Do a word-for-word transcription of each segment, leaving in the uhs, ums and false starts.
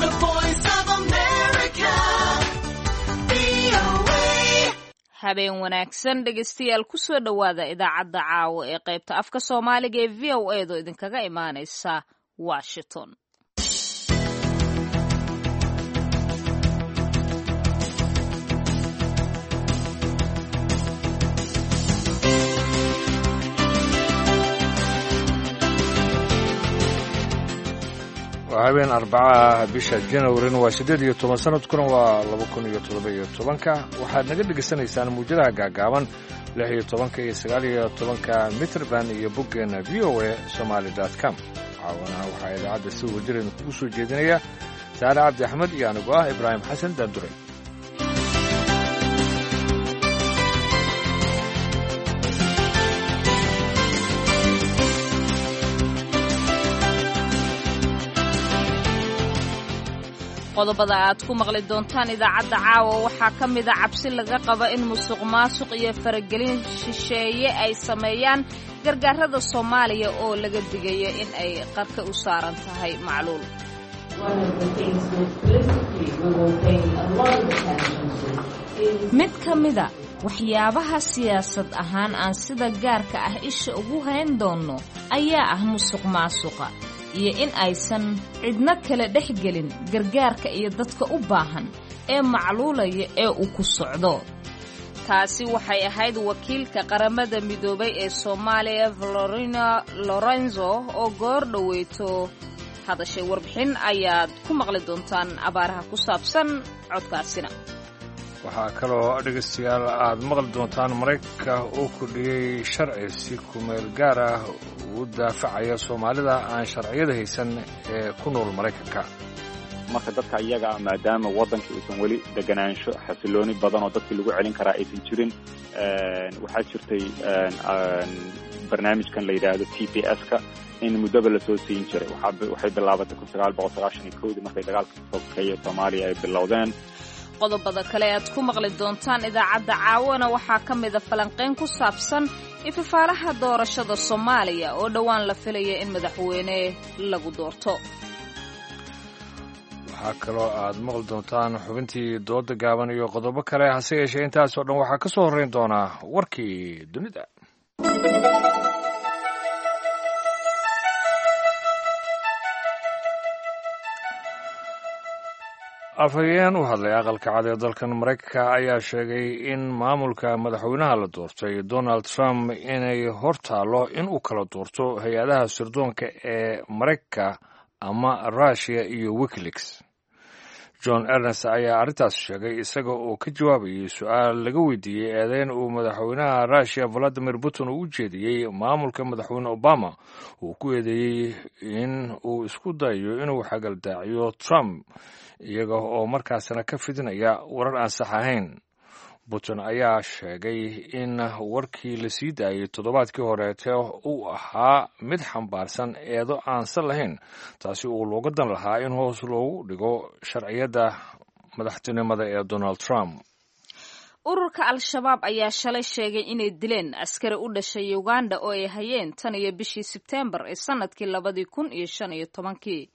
The Voice of America, V O A. Habeen wanaagsan, dhegeystayaal. Kusoo dhowaada idaacadda caawa ee qaybta afka Soomaaliga ee V O A do idinkaga imaaneysa Washington. Waa habeen Arbacaah, bisha Janwarina waa siddeed iyo toban, sanadkuna waa laba kun iyo toddoba iyo tobanka. Waxaad naga dhegaysanaysaan muwjadaha gaagaaban, lix iyo tobanka iyo sagaal iyo tobanka mitrban, iyo boggeena V O A Somaly com. Caawanaha waxaa idaacadda si wajirayna kugu soo jeedinaya Saare Cabdi Axmed iyo anigu ah Ibraahim Xasan Daanduray. Qodobada aad ku maqli doontaan idaacadda caawa waxaa ka mida cabsi laga qaba in musuq maasuq iyo faragelin shisheeye ay sameeyaan gargaarada Soomaaliya oo laga digayo in ay qarka u saaran tahay macluul. Mid ka mida waxyaabaha siyaasad ahaan aan sida gaarka ah isha ugu hayn doonno ayaa ah musuq maasuqa iyo in aysan cidno kale dhex gelin gargaarka iyo dadka u baahan ee macluulaya ee uu ku socdo. Taasi waxay ahayd wakiilka Qaramada Midoobay ee Soomaaliya, Florina Lorenzo, oo goor dhoweyto hadashay. Warbixin ayaad ku maqli doontaan abaaraha ku saabsan codkaasina. Waxaa kaloo, dhegaystayaal, aad maqli doontaan Maraykanka oo kordhiyey sharci si kumeel gaar ah ugu daafacaya Soomaalida aan sharciyada haysan ee ku nool Maraykanka. Marka dadka iyaga ah, maadaama waddankii uusan weli deganaansho xasilooni badan oo dadkii lagu celin karaa aysan jirin, waxaa jirtay barnaamijkan la yidhaahdo T P S-ka in muddaba lasoo siin jiray. Waxay bilaabatay kun sagaal boqol sagaashan iyo kowdii markay dagaalka sokeeye Soomaaliya ay bilowdeen. Qodobada kale aad ku maqli doontaan idaacadda caawana waxaa ka mida falanqayn ku saabsan ifafaalaha doorashada Soomaaliya oo dhowaan la filaya in madaxweyne lagu doorto. Waxaa kaloo aad maqli doontaan xubintii dooda gaaban iyo qodobo kale. Hase yeeshee, intaasoo dhan waxaa ka soo horrayn doonaa warkii dunida. Afhayeen u hadlay Aqalka Cad ee dalkan Maraykanka ayaa sheegay in maamulka madaxweynaha la doortay Donald Trump inay hor taallo in uu kala doorto hay-adaha sirdoonka ee Maraykanka ama Russiya iyo WikiLeaks. John Ernest ayaa arrintaas sheegay isaga oo ka jawaabayay su-aal laga weydiiyey eedeyn uu madaxweynaha Russiya Valadimir Putin uu u jeediyey maamulka madaxweyne Obama, uu ku eedeeyey in uu isku dayayo inuu xagaldaaciyo Trump, iyaga oo markaasna ka fidinaya warar aan sax ahayn. Putin ayaa sheegay in warkii la sii daayey toddobaadkii horeete uu ahaa mid xambaarsan eedo aansan lahayn, taasi uu looga dan lahaa in hoos loogu dhigo sharciyadda madaxtinimada ee Donald Trump. Ururka Al-Shabaab ayaa shalay sheegay inay dileen askari u dhashay Uganda oo ay hayeen tan iyo bishii Sebteembar ee sanadkii labadii kun iyo shan iyo tobankii.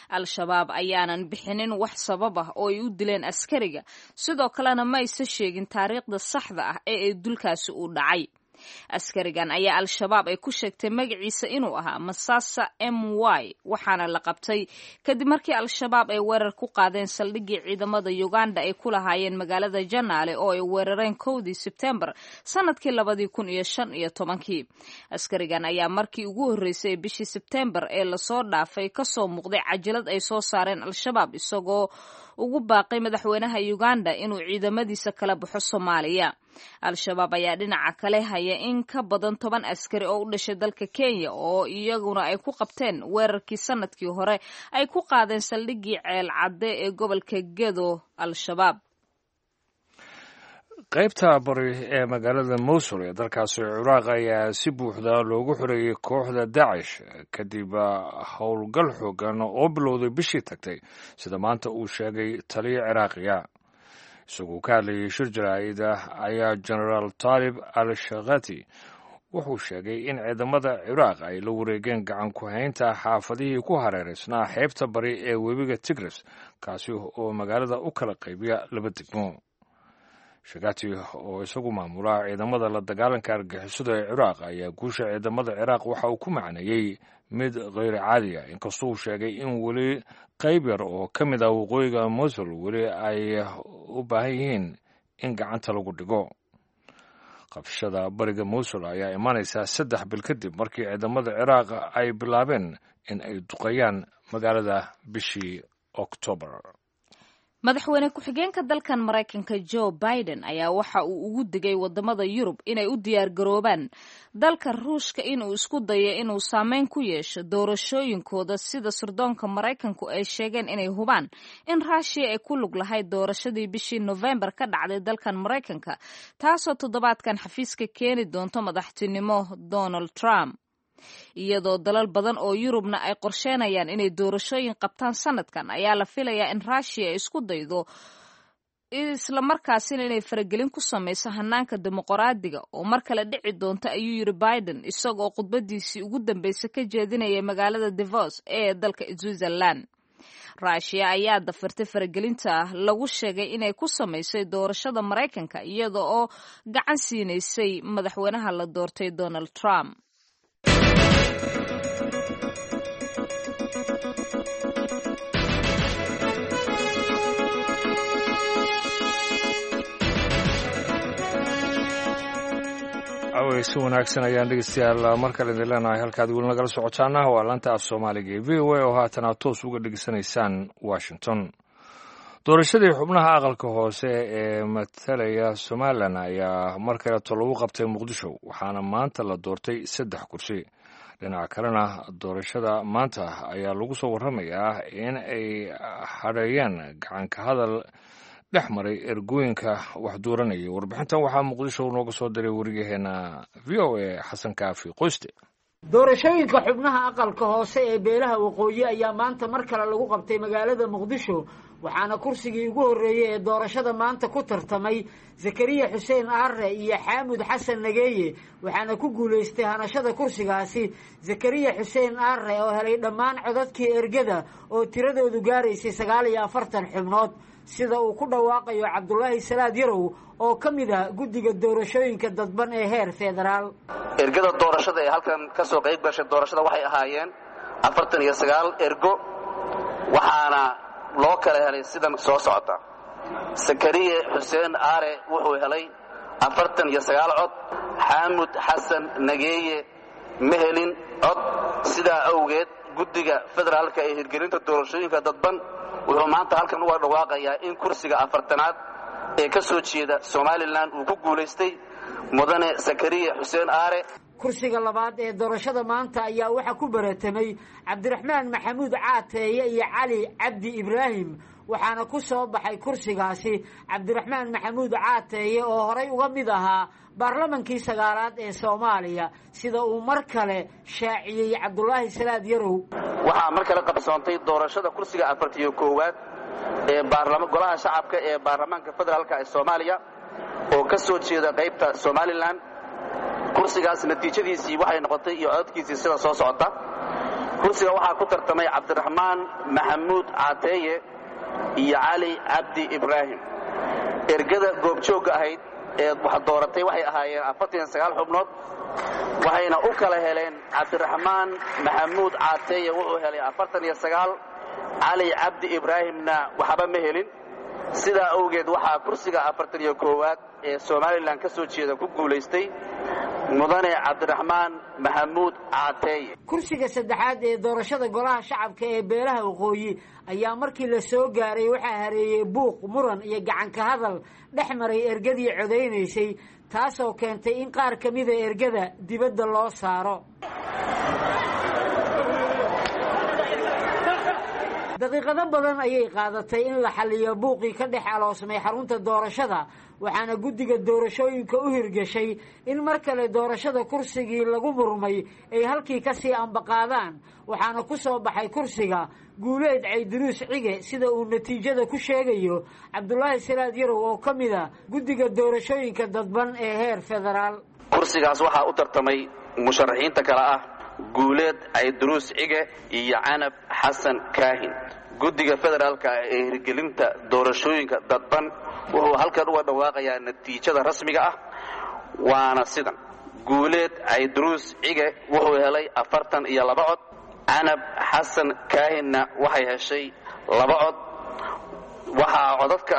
Al-Shabaab ayaanan bixinin wax sabab ah oo ay u dileen askariga, sidoo kalena ma aysa sheegin taariikhda saxda ah ee ay dulkaasi u dhacay. Askarigan ayaa Al-Shabaab ay ku sheegtay magaciisa inuu ahaa Masasa M Y, waxaana la qabtay kadib markii Al-Shabaab ay weerar ku qaadeen saldhiggii ciidamada Uganda ay ku lahaayeen magaalada Janaale oo ay weerareen kowdii Sebtembar sanadkii labadii kun iyo shan iyo tobankii. Askarigan ayaa markii ugu horreysay bishii Sebtembar ee lasoo dhaafay kasoo muuqday cajalad ay soo saareen Al-Shabaab, isagoo ugu baaqay madaxweynaha Uganda inuu ciidamadiisa kala baxo Soomaaliya. Al-Shabaab ayaa dhinaca kale haya in ka badan toban askari oo u dhashay dalka Kenya oo iyaguna ay ku qabteen weerarkii sanadkii hore ay ku qaadeen saldhiggii Ceel Cadde ee gobolka Gedo Al-Shabaab. Qaybta bari ee magaalada Mosul ee dalkaasi Ciraaq ayaa si buuxda loogu xoreeyey kooxda Dacish kadib howlgal xoogan oo bilowday bishii tagtay, sida maanta uu sheegay taliya Ciraaqiya. Isagoo ka hadlayay shir jaraa'id ah ayaa Genaraal Taalib al Shakhati Wuxuu sheegay in ciidamada Ciraaq ay la wareegeen gacan ku haynta xaafadihii ku hareereysnaa xeebta bari ee webiga Tigris, kaasi oo magaalada u kala qaybiya laba degmo. Shagati oo isagu maamula ciidamada la dagaalanka argagixisada ee Ciraaq ayaa guusha ciidamada Ciraaq waxa uu ku macneeyey mid kheyr caadi ah, inkastoo uu sheegay in weli qayb yar oo ka mid ah waqooyiga Mosul weli ay u baahan yihiin in gacanta lagu dhigo. Qabshada bariga Mosul ayaa imaanaysaa saddex bil kadib markii ciidamada Ciraaq ay bilaabeen in ay duqeeyaan magaalada bishii Oktoobar. Madaxweyne ku-xigeenka dalkan Maraykanka Joe Biden ayaa waxa uu ugu digay wadamada Yurub inay u diyaargaroobaan dalka Ruushka inuu isku dayo inuu saameyn ku yeesho doorashooyinkooda, sida sirdoonka Maraykanku ay sheegeen inay hubaan in Raashiya ay ku lug lahayd doorashadii bishii Nofembar ka dhacday dalkan Maraykanka, taasoo toddobaadkan xafiiska keeni doonto madaxtinimo Donald Trump. Iyadoo dalal badan oo Yurubna ay qorsheenayaan inay doorashooyin qabtaan sanadkan, ayaa la filayaa in Raashiya ay isku daydo islamarkaasina inay faragelin ku samayso hanaanka dimuqraadiga oo mar kale dhici doonta, ayuu yiri Biden isagoo khudbadiisii ugu dambeysay ka jeedinayay magaalada Davos ee dalka Switzerland. Raashiya ayaa dafirtay faragelinta lagu sheegay inay ku samaysay doorashada Maraykanka, iyada oo gacan siinaysay madaxweynaha la doortay Donald Trump. Si wanaagsan ayaan dhegeystayaal mar kale idin leenahay. Halkaad weli nagala socotaana waa laanta af Soomaaliga ee V O A oo haatan aad toos uga dhegeysanaysaan Washington. Doorashadii xubnaha aqalka hoose ee matalaya Somalilan ayaa mar kaleeto lagu qabtay Muqdisho, waxaana maanta la doortay saddex kursi. Dhinaca kalena, doorashada maanta ayaa lagu soo warramayaa in ay hadheeyeen gacanka hadal dhex maray ergooyinka wax dooranayay. Warbixintan waxaa Muqdisho nooga soo diray wariyaheena V O A Xasan Kaafi Qoyste. Doorashooyinka xubnaha aqalka hoose ee beelaha waqooyi ayaa maanta mar kale lagu qabtay magaalada Muqdisho, waxaana kursigii ugu horreeyey ee doorashada maanta ku tartamay Zakariya Xuseen Aare iyo Xaamud Xasan Nageeye, waxaana ku guulaystay hanashada kursigaasi Zakariya Xuseen Aare oo helay dhammaan codadkii ergada oo tiradoodu gaaraysay sagaal iyo afartan xubnood, sida uu ku dhawaaqayo Cabdulaahi Salaad Yarow oo ka mid ah guddiga doorashooyinka dadban ee heer federaal. Ergada doorashada ee halkan ka soo qayb gashay doorashada waxay ahaayeen afartan iyo sagaal ergo, waxaana loo kala helay sidan soo socota. Sakariye Xuseen Aare wuxuu helay afartan iyo sagaal cod, Xaamud Xasan Nageeye ma helin cod. Sidaa awgeed guddiga federaalka ee hirgelinta doorashooyinka dadban wuxuu maanta halkan uga dhawaaqayaa in kursiga afartanaad ee ka soo jeeda Somalilan uu ku guulaystay mudane Sakariye Xuseen Aare. Kursiga labaad ee doorashada maanta ayaa waxaa ku baratamay Cabdiraxmaan Maxamuud Caateeye iyo Cali Cabdi Ibraahim, waxaana ku soo baxay kursigaasi Cabdiraxmaan Maxamuud Caateeye oo horay uga mid ahaa baarlamankii sagaalaad ee Soomaaliya, sida uu mar kale shaaciyey Cabdulaahi Salaad Yarow. Waxaa mar kale qabsoontay doorashada kursiga afartiyo koowaad ee golaha shacabka ee baarlamaanka federaalka ee Soomaaliya oo ka soo jeeda qaybta Somalilan. Kursigaas natiijadiisii waxay noqotay iyo codadkiisii sida soo socota. Kursiga waxaa ku tartamay Cabdiraxmaan Maxamuud Caateeye iyo Cali Cabdi Ibraahim. Ergada goobjoogga ahayd ee wax dooratay waxay ahaayeen afartan iyo sagaal xubnood, waxayna u kala heleen Cabdiraxmaan Maxamuud Caateeye wuxuu helay afartan iyo sagaal, Cali Cabdi Ibraahimna waxba ma helin. Sidaa awgeed waxaa kursiga afartan iyo koowaad ee Somalilan ka soo jeeda ku guulaystay mudane Cabdiraxmaan Maxamuud Caateeye. Kursiga saddexaad ee doorashada golaha shacabka ee beelaha waqooyi ayaa markii la soo gaaray waxaa hareeyey buuq, muran iyo gacanka hadal dhex maray ergadii codaynaysay, taasoo keentay in qaar ka mida ergada dibadda loo saaro. Daqiiqado badan ayay qaadatay in la xalliyo buuqii ka dhex aloosmay xarunta doorashada, waxaana guddiga doorashooyinka u hirgeshay in mar kale doorashada kursigii lagu murmay ay halkii ka sii ambaqaadaan, waxaana ku soo baxay kursiga Guuleed Cayduruus Cige, sida uu natiijada ku sheegayo Cabdulaahi Salaad Yarow oo ka mid a guddiga doorashooyinka dadban ee heer federaal. Kursigaas waxaa u tartamay musharaxiinta kale ah Guuleed Cayduruus Cige iyo Canab Xasan Kaahin. Guddiga federaalka ee hirgelinta doorashooyinka dadban wuxuu halkan uga dhawaaqayaa natiijada rasmiga ah, waana sidan: Guuleed Cayduruus Cige wuxuu helay afartan iyo laba cod, Canab Xasan Kaahinna waxay heshay laba cod. Waxaa codadka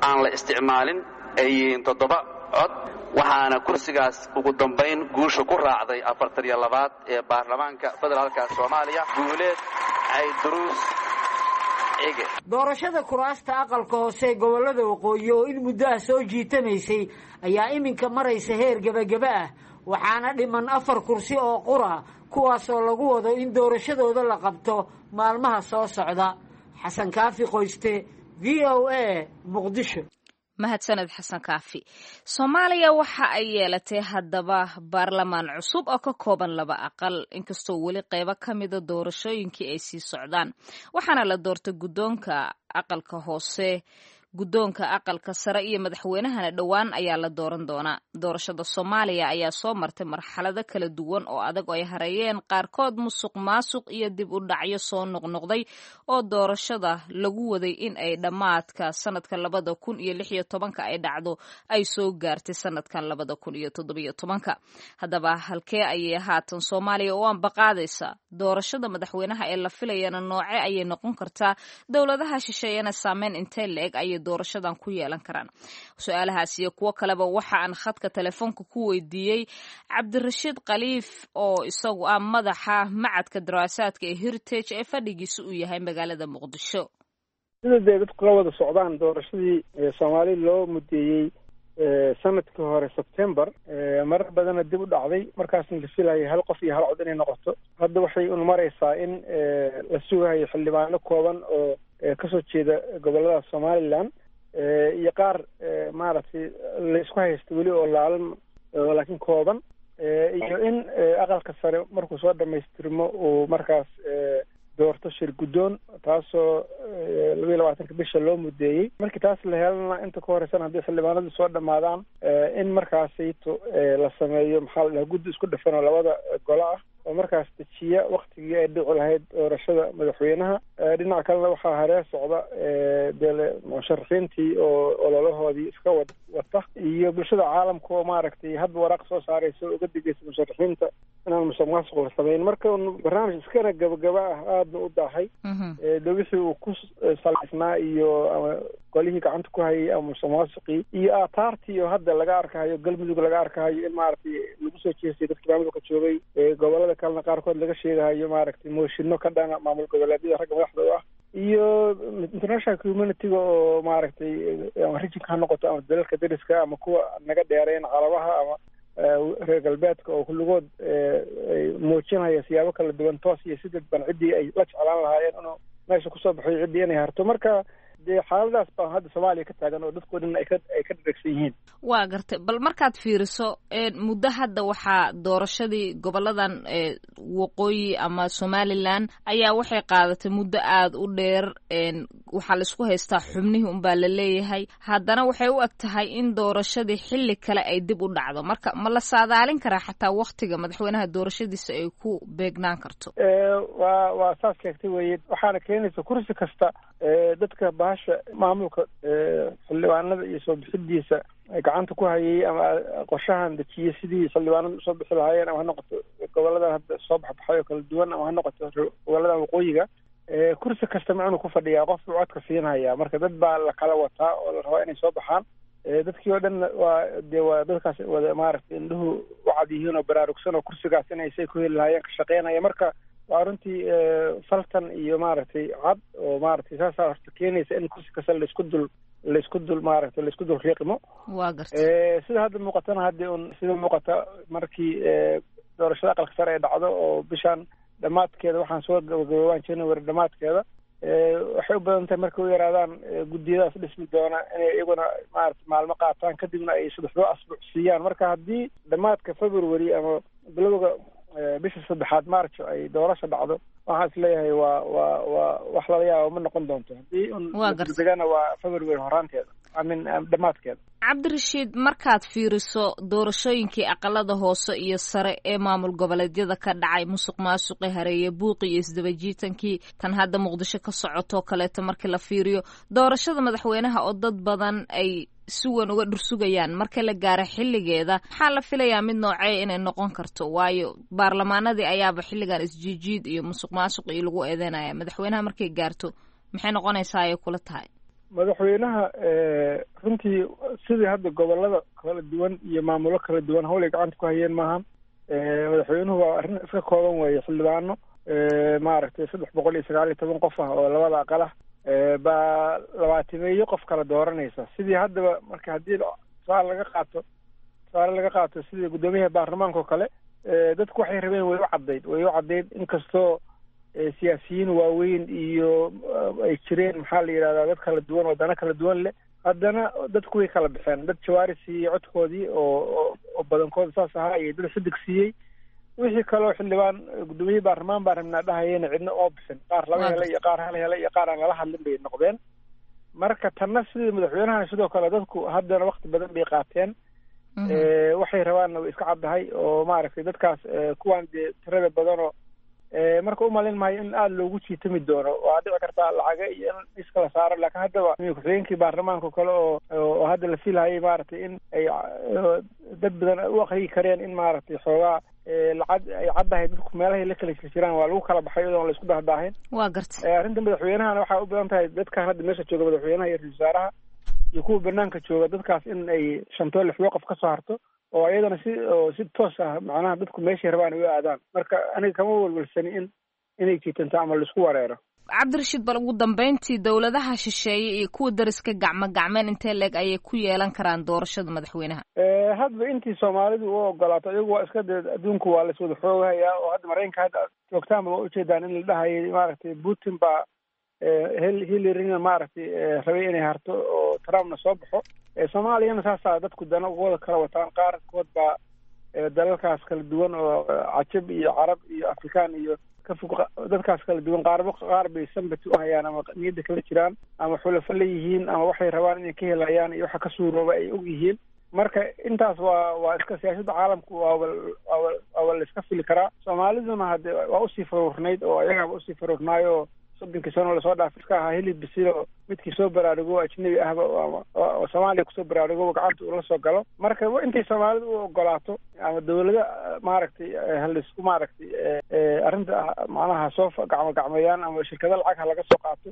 aan la isticmaalin ay yihiin toddoba cod, waxaana kursigaas ugu dambayn guusha ku raacday afartan iyo labaad ee baarlamaanka federaalka Soomaaliya Guuleed Cayduruus Cige. Doorashada kuraasta aqalka hoose ee gobollada waqooyi oo in muddo ah soo jiitamaysay ayaa iminka maraysa heer gebagaba ah, waxaana dhiman afar kursi oo qura, kuwaasoo lagu wado in doorashadooda la qabto maalmaha soo socda. Xasan Kaafi Qoyste, V O A, Muqdisho. Mahadsaned Xasan Kaafi. Soomaaliya waxa ay yeelatay haddaba baarlamaan cusub oo ka kooban laba aqal, inkastoo weli qeybo ka mida doorashooyinkii ay sii socdaan. Waxaana la doortay guddoonka aqalka hoose, guddoonka aqalka sare iyo madaxweynahana dhowaan ayaa la dooran doonaa. Doorashada Soomaaliya ayaa soo martay marxalado kala duwan oo adag oo ay hareeyeen qaarkood musuq maasuq iyo dib u dhacyo soo noqnoqday, oo doorashada lagu waday in ay dhammaadka sanadka labada kun iyo lix iyo tobanka ay dhacdo ay soo gaartay sanadkan labada kun iyo toddobiyo tobanka. Haddaba halkee ayay haatan Soomaaliya u ambaqaadaysa doorashada madaxweynaha ee la filayana? Nooce ayay noqon kartaa? Dowladaha shisheeyana saameyn intee la-eg ayay doorashadan ku yeelan karaan? Su-aalahaas iyo kuwo kaleba waxa aan khadka telefoonka ku weydiiyey Cabdirashiid Khaliif oo isagu ah madaxa macadka daraasaadka ee Heritage ee fadhigiisa uu yahay magaalada Muqdisho. Sida dee dadku la wada socdaan, doorashadii Soomaali loo mudeeyey sanadkii hore Sebtember marar badanna dib u dhacday, markaasna la filayay hal qof iyo hal cod inay noqoto. Hadda waxay un maraysaa in la sugahayo xildhibaano kooban oo kasoo jeeda gobollada Somaliland iyo qaar maaragtay laysku haysta weli oo laalan laakiin kooban, iyo in aqalka sare markuu soo dhamaystirmo uu markaas doorto shir guddoon, taasoo laba iyo labaatanka bisha loo mudeeyey. Markii taas la helana, inta ka horeysana haddii xildhibaanadu soo dhammaadaan, in markaasayto la sameeyo maxaa la dhaha guddi isku dhafan oo labada golo ah oo markaas dejiya waktigii ay dhici lahayd doorashada madaxweynaha. Dhinaca kalena waxaa haree socda dee musharaxiintii oo ololahoodii iska wa wata iyo bulshada caalamka oo maaragtay hadba waraaq soo saaraysa oo uga digaysa musharaxiinta inaan musuq maasuq la samayn. Marka barnaamij iskana gabagaba ah aadna u daahay de wixii uu ku salaysnaa iyo ama golihii gacanta ku hayay ama musuq maasuqii iyo aataartii oo hadda laga arkahayo Galmudug, laga arkahayo in maaragtay lagu soo jeestay dadkii maamulka joogay, gobolada kalena qaarkood laga sheegahayo maaragtay mooshinno ka dhana maamul goboleedyada ragga madaxda u ah, iyo international community-ga oo maaragtay ama rijinka ha noqoto ama dalalka dariska ama kuwa naga dheereyn carabaha ama reer galbeedka oo kulligood muujinaya siyaabo kala duwan toos iyo si dadban ciddii ay la jeclaan lahaayeen inuu meesha kusoo baxoy ciddii inay harto. Marka dee xaaladaas baa hadda Soomaaliya ka taagan oo dadkoo dhan ay ka ay ka dharagsan yihiin. Waa gartay. Bal markaad fiiriso muddo hadda waxaa doorashadii goboladan waqooyi ama Somaliland ayaa waxay qaadatay muddo aada u dheer. Waxaa laisku haystaa xubnihii unbaa la leeyahay, haddana waxay u eg tahay in doorashadii xilli kale ay dib u dhacdo. Marka ma la saadaalin karaa xataa waktiga madaxweynaha doorashadiisa ay ku beegnaan karto? Waa waa saas sheegtay weye. Waxaana keenaysa kursi kasta dadka bahasha maamulka xildhibaanada iyo soo bixidiisa gacanta ku hayay ama qorshahan dejiyey sidii xildhibaanada usoo bixi lahaayeen, ama ha noqoto goboladan hadda soo baxbaxay oo kala duwan ama ha noqoto goboladan waqooyiga, kursi kasta macnuu ku fadhiyaa qof buu codka siinhayaa. Marka dad baa la kala wataa oo la rabaa inay soo baxaan. Dadkii oo dhan waa dee waa dadkaas wada maaragtay indhuhu u cad yihiin oo baraarugsan oo kursigaas inay say ku heli lahaayeen ka shaqeynaya. Marka waa runtii faltan iyo maaragtay cad oo maaragtay saasaa horta keenaysa in kursi kasta laisku dul laisku dul maaragtay laisku dul riiqmo. Waa gartay. Sida hadda muuqatana haddi un sida muuqata markii doorashada aqalka sare ay dhacdo oo bishaan dhammaadkeeda, waxaan soo gabagaboobaan January dhammaadkeeda, waxay u badan tahay markay u yaraadaan guddiyadaas dhismi doona inay iyaguna maarata maalmo qaataan, kadibna ay saddexdoo asbuuc siiyaan. Marka haddii dhammaadka February ama bilowga bisha saddexaad March ay doorasha dhacdo, waxaan is leeyahay waa waa waa wax lala yaabo ma noqon doonto. Haddii un degana waa February horaanteeda. I mean dhammaadkeeda. Cabdirashiid, markaad fiiriso doorashooyinkii aqalada hoose iyo sare ee maamul goboleedyada ka dhacay, musuq maasuqi hareeye, buuqi iyo isdabajiitankii, tan hadda Muqdisho ka socotoo kaleeto, markii la fiiriyo doorashada madaxweynaha oo dad badan ay si weyn uga dhursugayaan, marka la gaaro xilligeeda maxaa la filayaa mid noocee inay noqon karto? Waayo baarlamaanadii ayaaba xilligan isjiijiid iyo musuq maasuq iyo lagu eedeynaya. Madaxweynaha markay gaarto maxay noqonaysaa ayay kula tahay? Madaxweynaha runtii sidii hadda gobolada kala duwan iyo maamulo kala duwan hawlay gacanta ku hayeen maaha. Madaxweynuhu waa arrin iska kooban weeye, xildhibaano maaragtay saddex boqol iyo sagaal iyo toban qof ah oo labada aqal ah baa labaatimeeyo qof kala dooranaysa. Sidii haddaba marka haddii tusaale laga qaato tusaale laga qaato sidii guddoomiyaha baarlamaanka oo kale, dadku waxay rabeen way u caddayd way u caddayd inkastoo siyaasiyiin waaweyn iyo ay jireen, maxaa la yidhahdaa, dad kala duwan oo dano kala duwan leh, haddana dadku way kala baxeen. Dad jawaari siiyey codkoodii oo oo badankooda saas ahaa, iyo dad xidig siiyey. Wixii kaloo xildhibaan guddoomiye baarlamaan baan rabnaa dhahayena cidna oo bixin, qaar laba helay iyo qaar hal helay iyo qaar aan lala hadlin bay noqdeen. Marka tanna sidii madaxweynaha sidoo kale dadku haddana wakti badan bay qaateen, waxay rabaanna way iska caddahay oo maaragtay dadkaas kuwaan dee tirada badanoo. Marka umalin maayo in aada loogu jiitami doono. Waa dhici kartaa lacaga iyo in iskala saaro, laakiin haddaba ku-xigeenkii baarlamaanka o kale oo oo hadda la filahayay maaragtay in ay dad badan u akriyi kareen in maaragtay xoogaa lacag ay caddahay, dadku meelahay la kala jirjiraan waa lagu kala baxay iyadoon la isku dahdaahin. Waa garta. Arrinta madaxweynahana waxaa u badan tahay dadkan hadda meesha jooga, madaxweynaha iyo ra-isul wasaaraha iyo kuwa banaanka jooga, dadkaas in ay shantoo lixwo qof ka soo harto oo iyadana si oo si toos ah macnaha dadku meeshay rabaan ay u aadaan. Marka aniga kama walwalsani in inay jiitanto ama laisku wareero. Cabdirashiid, bal ugu dambeyntii, dowladaha shisheeye iyo kuwa dariska gacmo gacmeen intee leeg ayay ku yeelan karaan doorashada madaxweynaha? Hadba intii soomaalidu u ogolaato, iyagu waa iska dee adduunku waa laiswada xoogahayaa oo hadda Maraykanka hadda joogtaanba waa ujeedaan in la dhahayay maaragtay Putin baa Hillarina maaragtay rabay inay harto oo Trumpna soo baxo. Soomaaliyana saasaa dadku dana wada kala wataan, qaarkood baa dalalkaas kala duwan oo cajab iyo carab iyo Afrikaan iyo ka fog, dadkaas kala duwan qaarba qaar bay sambati u hayaan ama niyadda kala jiraan ama xulafo leeyihiin ama waxay rabaan inay ka helayaan iyo waxa ka suurooba ay og yihiin. Marka intaas waa waa iska siyaasadda caalamku waaba waaba waaba la iska fili karaa. Soomaaliduna hadde waa usii faruurnayd oo ayagaaba usii faruurnaayoo soddonkii sano lasoo dhaaf iska ahaa hilib bisilo, midkii soo baraarugo ajnabi ahba oo Soomaaliya kusoo baraarugo gacanta ula soo galo. Marka intay soomaalidu u ogolaato ama dawlada maaragtay halaisku maaragtay arrinta macnaha soo gacmo gacmeeyaan ama shirkado lacag ha laga soo qaato,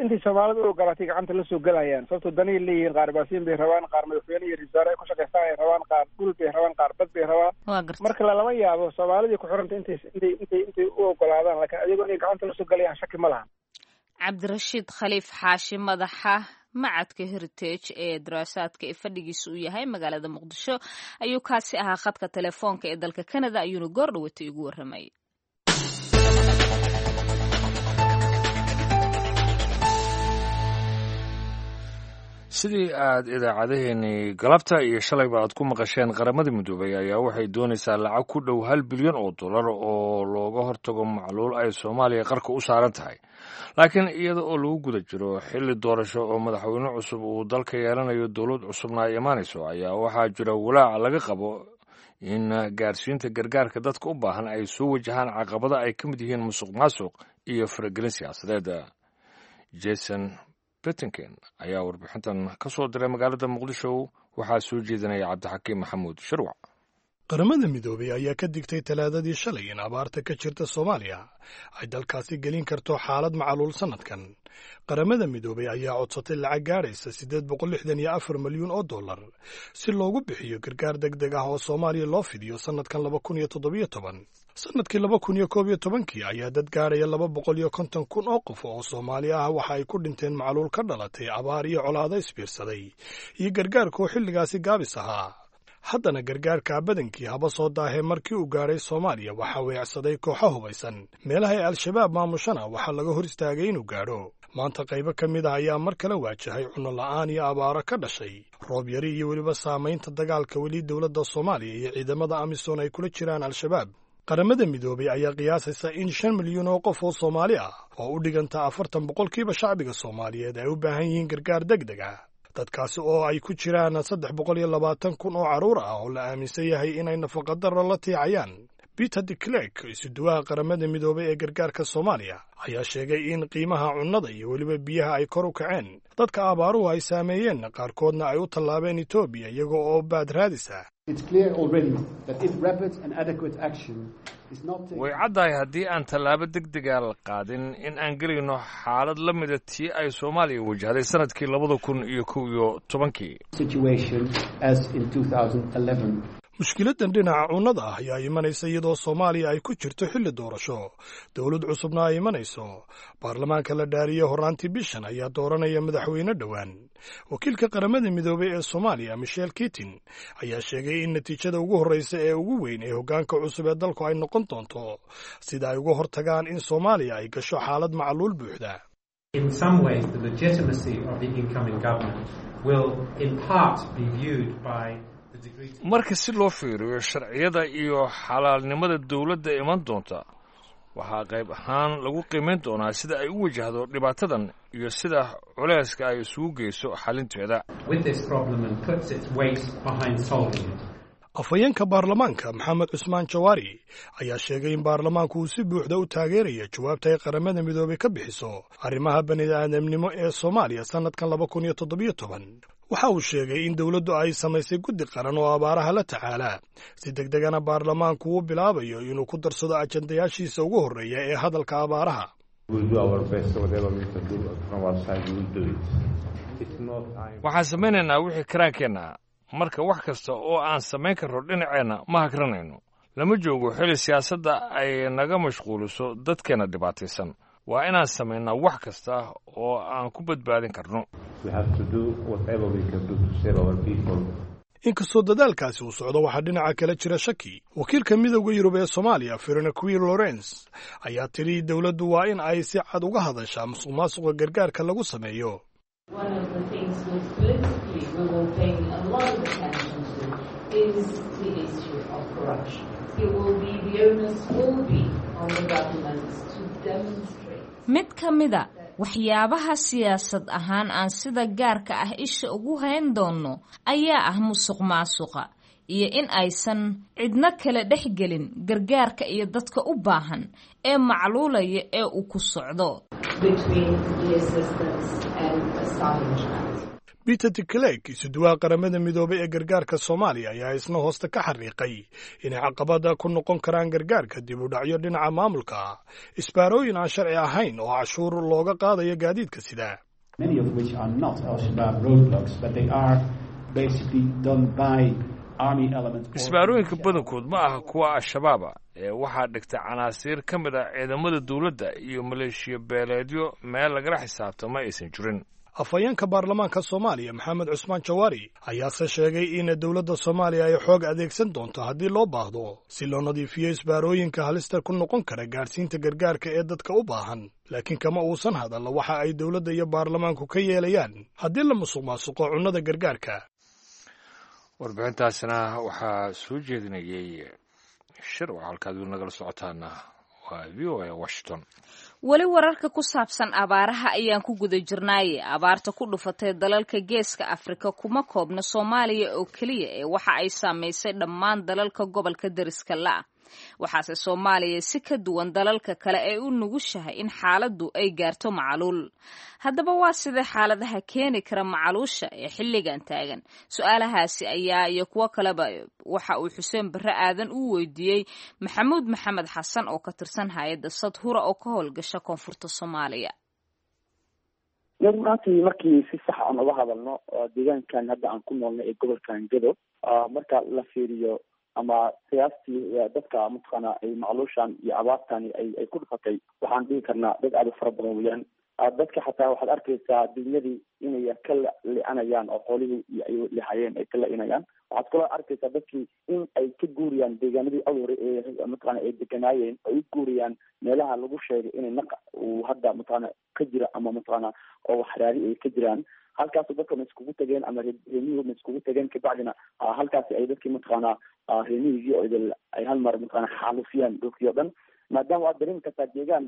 intay soomaalidu u ogolaatay gacanta la soo gelayaan, sababtoo danay leeyihiin. Qaar baasiin bay rabaan, qaar madaxweyne iyo ra-isul wasaare ay ku shaqaystaan ay rabaan, qaar dhul bay rabaan, qaar bad bay rabaan. Marka lalama yaabo soomaalidii ku xiranta intay intay intay intay u ogolaadaan, laakiin adigoo inay gacanta la soo gelayaan shaki ma laha. Cabdirashiid Khaliif Xaashi, madaxa macadka Heritage ee daraasaadka ee fadhigiisa uu yahay magaalada Muqdisho ayuu kaasi ahaa. Khadka telefoonka ee dalka Canada ayuuna goor dhawatay igu warramayay. Sidii aad idaacadaheenii galabta iyo shalayba aad ku maqasheen, Qaramada Midoobay ayaa waxay doonaysaa lacag ku dhow hal bilyan oo dollar oo looga hortago macluul ay Soomaaliya qarka u saaran tahay. Laakiin iyada oo lagu guda jiro xilli doorasho oo madaxweyne cusub uu dalka yeelanayo, dowlad cusubna ay imaanayso, ayaa waxaa jira walaac laga qabo in gaarsiinta gargaarka dadka u baahan ay soo wajahaan caqabada ay ka mid yihiin musuq maasuq iyo faragelin siyaasadeed. Jason Betinken ayaa warbixintan ka soo diray magaalada Muqdisho, waxaa soo jeedinaya Cabdixakiim Maxamuud Shirwac. Qaramada Midoobay ayaa ka digtay Talaadadii shalay in abaarta ka jirta Soomaaliya ay dalkaasi gelin karto xaalad macaluul sannadkan. Qaramada Midoobay ayaa codsatay lacag gaadhaysa siddeed boqol lixdan iyo afar milyuun oo dollar si loogu bixiyo gargaar deg deg ah oo Soomaaliya loo fidiyo sannadkan laba kun iyo toddobiyo toban. Sannadkii laba kun iyo koob iyo tobankii ayaa dad gaadhaya laba boqol iyo konton kun oo qof oo Soomaali ah waxa ay ku dhinteen macluul ka dhalatay abaar iyo colaado isbiirsaday iyo gargaarka oo xilligaasi gaabis ahaa. Haddana gargaarka badankii haba soo daahee, markii uu gaadhay Soomaaliya waxaa weecsaday kooxo hubaysan. Meelaha ay Al-Shabaab maamushana waxaa laga hor istaagay inuu gaadho. Maanta qaybo ka mid ah ayaa mar kale waajahay cunno la'aan iyo abaaro ka dhashay roob yari iyo weliba saamaynta dagaalka weli dowladda Soomaaliya iyo ciidamada AMISON ay kula jiraan Al-Shabaab. Qaramada Midoobay ayaa qiyaasaysa in shan milyan oo qof oo Soomaali ah oo u dhiganta afartan boqolkiiba shacbiga Soomaaliyeed ay u baahan yihiin gargaar deg deg ah. Dadkaasi oo ay ku jiraan saddex boqol iyo labaatan kun oo carruur ah oo la aaminsan yahay inay nafaqadarro la tiicayaan. Peter de Clerk, isuduwaha Qaramada Midoobay ee gargaarka Soomaaliya, ayaa sheegay in qiimaha cunnada iyo weliba biyaha ay kor u kaceen, dadka abaaruhu ay saameeyeen qaarkoodna ay u tallaabeen Etoobiya iyaga oo baad raadis ah. Way caddahay haddii aan tallaabo deg dega la qaadin in aan gelayno xaalad la mida tii ay Soomaaliya wajahday sanadkii labada kun iyo kow iyo tobankii. Mushkiladan dhinaca cunnada ah ayaa imanaysa iyadoo Soomaaliya ay ku jirto xilli doorasho, dowlad cusubna ay imanayso. Baarlamaanka la dhaariyey horraantii bishan ayaa dooranaya madaxweyne dhowaan. Wakiilka Qaramada Midoobay ee Soomaaliya, Michel Kitin, ayaa sheegay in natiijada ugu horreysa ee ugu weyn ee hoggaanka cusub ee dalku ay noqon doonto sida ay uga hortagaan in Soomaaliya ay gasho xaalad macluul buuxda. Marka si loo fiiriyo sharciyada iyo xalaalnimada dowladda iman doonta, waxaa qayb ahaan lagu qiimayn doonaa sida ay u wajahdo dhibaatadan iyo sida culayska ay isugu geyso xalinteeda. Afhayeenka baarlamaanka, Maxamed Cusmaan Jawaari, ayaa sheegay in baarlamaanku uu si buuxda u taageeraya jawaabta ay Qaramada Midoobay ka bixiso arrimaha bani'aadamnimo ee Soomaaliya sannadkan laba kun iyo toddobiyo toban. Waxa uu sheegay in dowladdu ay samaysay guddi qaran oo abaaraha la tacaala, si deg degana baarlamaanku uu bilaabayo inuu ku darsado ajandayaashiisa ugu horreeya ee hadalka abaaraha. Waxaan samaynaynaa wixii karaankeenna. Marka wax kasta oo aan samayn karno dhinaceenna ma hagranayno. Lama joogo xili siyaasadda ay naga mashquuliso dadkeenna dhibaataysan. Waa inaan samaynaa wax kasta oo aan ku badbaadin karno. Inkastoo dadaalkaasi uu socdo, waxaa dhinaca kale jira shaki. Wakiilka Midowda Yurub ee Soomaaliya, Veronique Lorens, ayaa tidhi dowladdu waa in ay si cad uga hadashaa musuq maasuqa gargaarka lagu sameeyo. Mid ka mida waxyaabaha siyaasad ahaan aan sida gaarka ah isha ugu hayn doonno ayaa ah musuq maasuqa iyo in aysan cidno kale dhex gelin gargaarka iyo dadka u baahan ee macluulaya ee uu ku socdo. Peter de Clerk, isuduwaha Qaramada Midoobay ee gargaarka Soomaaliya, ayaa isna hoosta ka xariiqay inay caqabada ku noqon karaan gargaarka dib u dhacyo dhinaca maamulka, isbaarooyin aan sharci ahayn oo cashuur looga qaadayo gaadiidka sida. Isbaarooyinka badankood ma aha kuwa Al-Shabaaba ee waxaa dhigta canaasiir ka mid ah ciidamada dowladda iyo maleeshiya beeleedyo meel lagala xisaabtamo aysan jirin. Afhayeenka baarlamaanka Soomaaliya, Maxamed Cusmaan Jawaari, ayaase sheegay in dowladda Soomaaliya ay xoog adeegsan doonto haddii loo baahdo si loo nadiifiyo isbaarooyinka halista ku noqon kara gaadhsiinta gargaarka ee dadka u baahan, laakiin kama uusan hadalla waxa ay dowladda iyo baarlamaanku ka yeelayaan haddii la musuq maasuqo cunnada gargaarka. Warbixintaasina waxaa soo jeedinayay Shir. Waa halkaad weli nagala socotaana, waa V O A Washington. Weli wararka ku saabsan abaaraha ayaan ku guda jirnaaye. Abaarta ku dhufatay dalalka Geeska Afrika kuma koobna Soomaaliya oo keliya ee waxa ay saamaysay dhammaan dalalka gobolka deriska la'a. Waxaase Soomaaliya si ka duwan dalalka kale ay u nugushahay in xaaladdu ay gaarto macaluul. Haddaba waa sidee xaaladaha keeni kara macaluusha ee xilligan taagan? Su-aalahaasi ayaa iyo kuwo kaleba waxa uu Xuseen Barre Aadan u weydiiyey Maxamuud Maxamed Xasan oo ka tirsan hay-adda Sadhura oo ka howlgasha koonfurta Soomaaliya. Runaatii, markii si sax aan uga hadalno deegaankan hadda aan ku noolnay ee gobolkan Gedo, marka la fiiriyo ama qiyaastii dadka mataqaana ay macluushan iyo abaartani ay ay ku dhufatay, waxaan dhihi karnaa dad aada u fara badan weeyaan. Dadka xataa waxaad arkaysaa dunyadii inay ka li-anayaan oo xoolihii iyo ay lihayeen ay ka la-inayaan. Waxaad kaloo arkaysaa dadkii in ay ka guuriyaan deegaanadii awr ee mataqaana ay deganaayeen, ay u guuriyaan meelaha lagu sheegay inay naqa uu hadda mataqaana ka jira ama mataqaana oo waxraari ay ka jiraan. Halkaasu dadka ma iskugu tageen ama reemiyuhu ma iskugu tageen, kabacdina halkaasi ay dadkii mataqaana reemiyigii oo idil ay hal mar mataqaana xaalufiyaan dhulkii o dhan, maadaama waad dareemi kartaa deegaan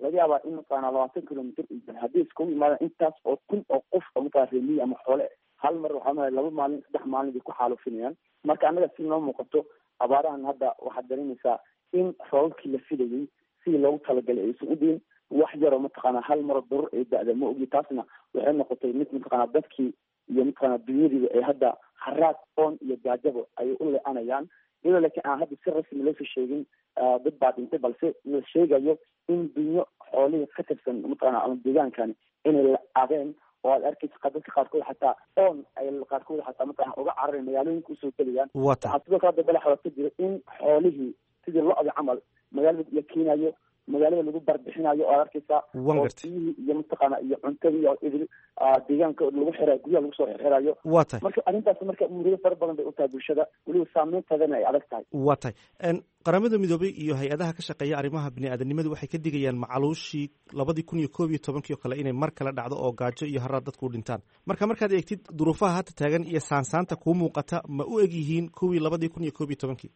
laga yaabaa in mataqaana labaatan kilomitr haddii iskugu imaadaan intaas oo kun oo qof oo mataqana dad reemiyi ama xoole hal mar waxaa maay laba maalin saddex maalin bay ku xaalufinayaan. Marka annaga si noo muuqato abaarahan hadda waxaad dareemaysaa in roobabkii la filayay sidii loogu talagalay aysan u diin, wax yaroo mataqaanaa hal maro durur ay da-da ma ogi. Taasna waxay noqotay mid mataqaanaa dadkii iyo mataqaanaa dunyadiiba ay hadda haraad oon iyo gaajabo ay u le-anayaan, iyadoo laakiin aan hadda si rasmi loosoo sheegin dad baa dhintay, balse la sheegayo in dunyo xoolihii ka tirsan mataqaana ama deegaankani inay la-adeen oo aad arkaysa dadka qaarkood xataa oon ay qaarkood xataa mataqana uga carareen magaalooyinka usoo gelayaan. Waxaa sidoo kale hadda balaxa ka jira in xoolihii sidii lo-da camal magaalada la keenayo, magaalada lagu barbixinayo oo aad arkaysaa oo biyihii iyo mataqaana iyo cuntadii oo idil deegaanka lagu xirayo, guryaha lagu soo xirxirayo. Wa tahay. Marka arrintaas marka murugo fara badan bay u tahay bulshada, weliba saameynteedana ay adag tahay. Wa tahay. Qaramada Midoobay iyo hay-adaha ka shaqeeya arrimaha bini-aadanimadu waxay ka digayaan macaluushii labadii kun iyo koob iyo tobankii oo kale inay mar kale dhacdo oo gaajo iyo haraad dadku u dhintaan. Marka markaad eegtid duruufaha hadda taagan iyo saansaanta kuu muuqata, ma u eg yihiin kuwii labadii kun iyo koob iyo tobankii?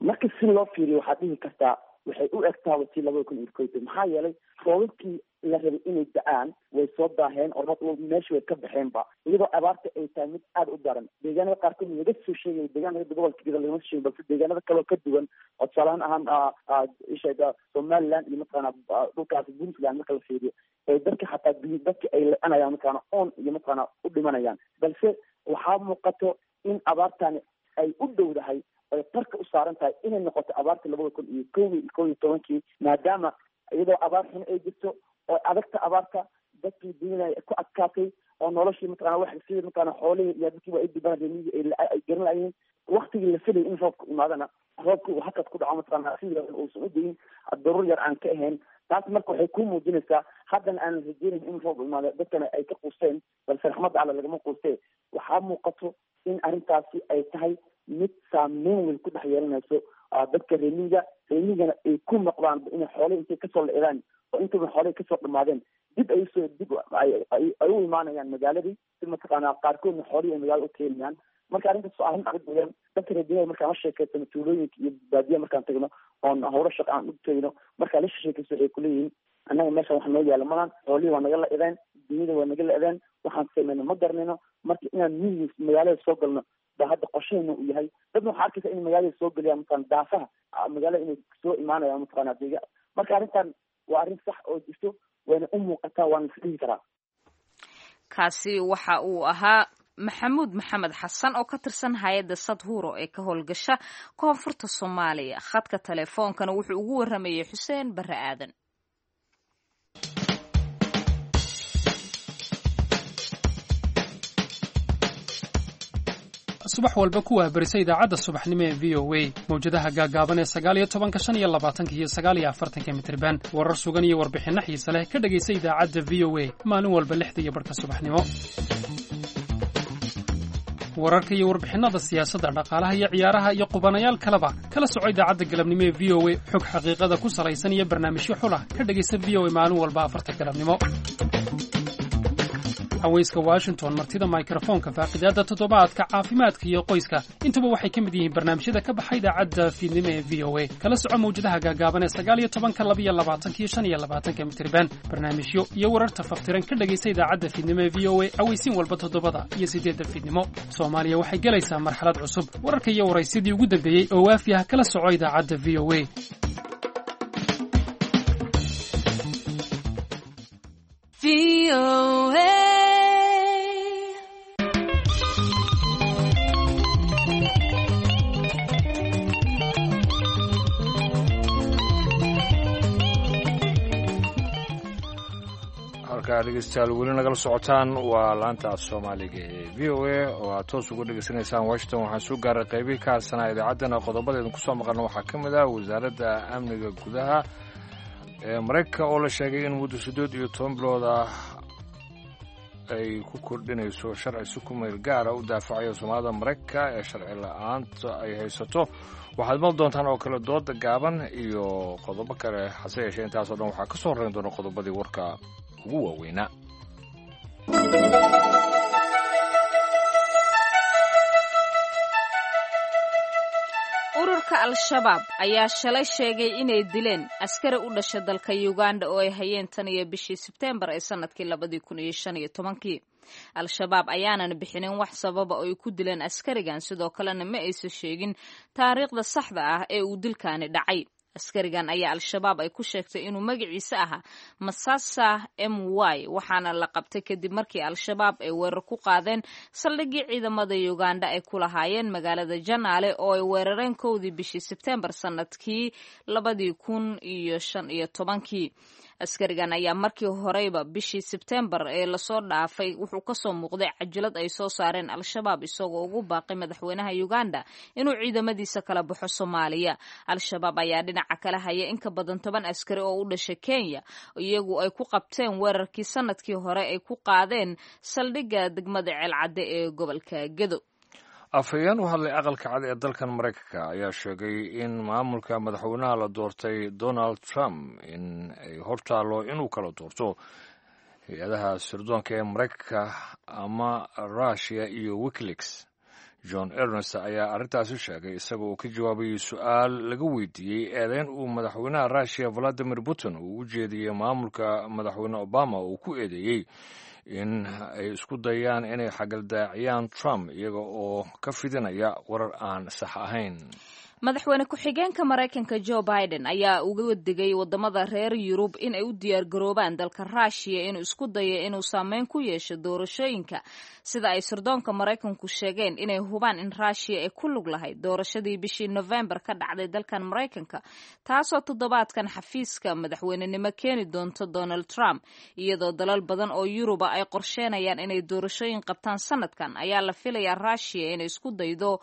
Marka si loo fiiriyo waxaad dhihi kartaa waxay u egtaaba tii labada kun iyo koob iyo toban, maxaa yeelay roobabkii la rabay inay da-aan way soo daaheen oo meesha way ka baxeenba, iyadoo abaarta ay tahay mid aada u daran. Deegaanada qaarkood laga soo sheegay, deegaanada gobolka gida lagama soo sheegay, balse deegaanada kaleo ka duwan oo tusaalahaan ahaan isheega Somaliland iyo mataqaana dhulkaasi Puntland marka la fiiriyo ee dadka xataa dadka ay le-anayaan mataqaana oon iyo mataqaana u dhimanayaan, balse waxaa muuqato in abaartani ay u dhowdahay ay qarka u saaran tahay inay noqoto abaarta labada kun iyo kow iyo kow iyo tobankii, maadaama iyadoo abaar xun ay jirto oo adagta abaarta dadkii dunyada ku adkaatay oo noloshii mataqana wax sidii mataqana xoolihii iyo dadkiiba ay dibaan reemiyii ay garan lahayiin. Waktigii la filayay in roobka imaadana roobka uu hakad ku dhaco mataqana sidii uusan u dayin daruur yar aan ka ahayn. Taas marka waxay ku muujinaysaa haddana aanan rajeynayn in roob imaado, dadkana ay ka quusteen, balse raxmadda Alla lagama quustee. Waxaa muuqato in arrintaasi ay tahay mid saameyn weyn ku dhex yeelanayso dadka reemiga, reemigana ay ku noqdaan inay xoolihii intay kasoo la-idaan oo intaba xoolihii kasoo dhamaadeen dib ay usoo dib ay u imaanayaan magaaladii si mataqaanaa qaarkoodna xoolihii ay magaalada u keenayaan. Marka arrintaas waa arrin adag weeyaan. Dadka reer markaan la sheekeysano tuulooyinka iyo baadiyaha markaan tagno oon howlo shaqa aan u tegno, markaan la sheekeyso waxay kuleeyihiin annaga meeshan wax noo yaala malan, xoolihii waa naga la-ideen, dunyada waa naga la-ideen, waxaan samayno ma garanayno. Marka inaan miyiga magaalada soo galno ba hadda qorshaheena uu yahay. Dadna waxaa arkaysa in magaalada soo geliyaan mataqana daafaha magaalada inay soo imaanayaan mataqana deega. Marka arrintan waa arrin sax oo jirto, wayna u muuqataa, waana is dhihi karaa. Kaasi waxa uu ahaa Maxamuud Maxamed Xasan oo ka tirsan hay-adda Sadhuro ee ka howlgasha koonfurta Soomaaliya. Khadka teleefoonkana wuxuu ugu waramayey Xuseen Barre Aadan. Subax walba ku wahbarisa idaacadda subaxnimo ee V O A, mawjadaha gaagaaban ee sagaal iyo tobanka, shan iyo labaatanka iyo sagaal iyo afartanka mitirban. Warar sugan iyo warbixinno xiise leh ka dhegaysa idaacadda V O A maalin walba lixda iyo barhka subaxnimo. Wararka iyo warbixinnada siyaasadda, dhaqaalaha iyo ciyaaraha iyo qubanayaal kaleba kala soco idaacadda galabnimo ee V O A. Xog xaqiiqada ku salaysan iyo barnaamijyo xulah ka dhegaysa V O A maalin walba afarta galabnimo. Haweyska Washington, martida mikrofoonka, faaqidaadda toddobaadka, caafimaadka iyo qoyska, intuba waxay ka mid yihiin barnaamijyada ka baxa idaacadda fiidnimo ee V O A. Kala soco mawjadaha gaagaaban ee sagaal iyo tobanka, laba iyo labaatanka iyo shan iyo labaatanka mitirban. Barnaamijyo iyo wararta faftiran ka dhegaysa idaacadda fiidnimo ee V O A aweysiin walba toddobada iyo siddeedda fiidnimo. Soomaaliya waxay gelaysaa marxalad cusub. Wararka iyo waraysidii ugu dambeeyey oo waafi ah kala soco idaacadda V O A. Halkaa dhegeystayaal weli nagala socotaan waa laanta af soomaaliga ee V O A oo aad toos uga dhegeysanaysaan Washington. Waxaan soo gaaray qaybihii ka hadsanaa idaacaddana. Qodobadeedin kusoo maqalna waxaa ka mid ah wasaaradda amniga gudaha ee Maraykanka oo la sheegay in muddo siddeed iyo toban bilood ah ay ku kordhinayso sharci si ku meel gaara u daafacayo soomaalida Maraykanka ee sharci la-aanta ay haysato. Waxaad maqli doontaan oo kale dooda gaaban iyo qodobo kale, hase yeeshee intaasoo dhan waxaa ka soo horreyn doona qodobadii warka ugu waaweynaa. Ururka Al-Shabaab ayaa shalay sheegay inay dileen askari u dhasha dalka Uganda oo ay hayeen tan iyo bishii Sebteembar ee sanadkii labadii kun iyo shan iyo tobankii. Al-Shabaab ayaanan bixinin wax sababa oo ay ku dileen askarigan, sidoo kalena ma aysan sheegin taariikhda saxda ah ee uu dilkaani dhacay. Askarigan ayaa Al-Shabaab ay ku sheegtay inuu magaciisa ahaa Masasa M Y, waxaana la qabtay kadib markii Al-Shabaab ay weerar ku qaadeen saldhiggii ciidamada Uganda ay ku lahaayeen magaalada Janaale oo ay weerareen kowdii bishii Sebtembar sanadkii labadii kun iyo shan iyo tobankii. Askarigan ayaa markii horeyba bishii Sebtembar ee lasoo dhaafay wuxuu kasoo muuqday cajalad ay soo saareen Al-Shabaab isagoo ugu baaqay madaxweynaha Uganda inuu ciidamadiisa kala baxo Soomaaliya. Al-Shabaab ayaa dhinaca kala haya in ka badan toban askari oo u dhashay Kenya, iyagu ay ku qabteen weerarkii sanadkii hore ay ku qaadeen saldhigga degmada Ceelcadde ee gobolka Gedo. Afhayeen u hadlay Aqalka Cad ee dalkan Maraykanka ayaa sheegay in maamulka madaxweynaha la doortay Donald Trump in ay hortaallo inuu kala doorto hay-adaha sirdoonka ee Maraykanka ama Russia iyo WikiLeaks. John Ernest ayaa arrintaasi sheegay isaga oo ka jawaabayay su-aal laga weydiiyey eedeyn uu madaxweynaha Russia Valadimir Putin uu u jeediyey maamulka madaxweyne Obama uu ku eedeeyey in ay isku dayaan inay xagaldaaciyaan Trump iyaga oo ka fidinaya warar aan sax ahayn. Madaxweyne ku-xigeenka Maraykanka Joe Biden ayaa uga digay wadamada reer Yurub in ay u diyaargaroobaan dalka Ruushiya inuu isku dayo inuu saameyn ku yeesho doorashooyinka, sida ay sirdoonka Maraykanku sheegeen inay hubaan in Ruushiya ay ku lug lahayd doorashadii bishii November ka dhacday dalkan Maraykanka, taasoo toddobaadkan xafiiska madaxweynenimo keeni doonto Donald Trump. Iyadoo dalal badan oo Yuruba ay qorsheenayaan inay doorashooyin qabtaan sanadkan, ayaa la filayaa Ruushiya inay isku daydo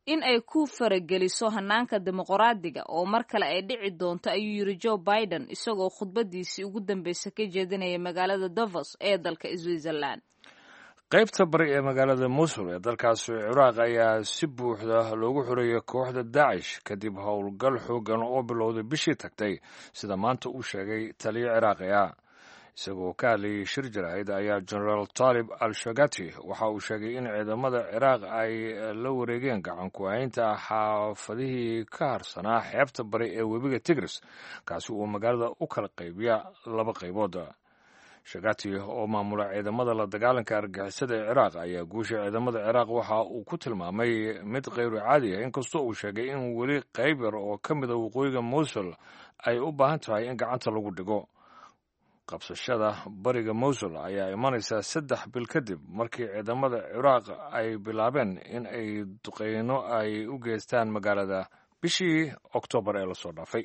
in ay ku farageliso hanaanka dimuqraadiga oo mar kale ay dhici doonto, ayuu yiri Joe Biden isagoo khudbadiisii ugu dambeysay ka jeedinaya magaalada Davos ee dalka Switzerland. Qaybta bari ee magaalada Mosul ee dalkaasi Ciraaq ayaa si buuxda loogu xoreeyay kooxda Daacish kadib howlgal xoogan oo bilowday bishii tagtay, sida maanta uu sheegay taliyo Ciraaqi ah. Isagoo ka hadlayay shir jaraa'id ayaa Genaraal Taalib al Shagati waxa uu sheegay in ciidamada Ciraaq ay la wareegeen gacan ku-haynta xaafadihii ka harsanaa xeebta bari ee webiga Tigris, kaasi uu magaalada u kala qaybiya laba qaybood. Shagati oo maamula ciidamada la dagaalanka argagixisada ee Ciraaq ayaa guusha ciidamada Ciraaq waxa uu ku tilmaamay mid kheyru caadi ah, inkastoo uu sheegay in weli qayb yar oo ka mida waqooyiga Mosul ay u baahan tahay in gacanta lagu dhigo. Qabsashada bariga Mosul ayaa imanaysaa saddex bil kadib markii ciidamada Ciraaq ay bilaabeen in ay duqeyno ay u geystaan magaalada bishii Oktoobar ee lasoo dhaafay.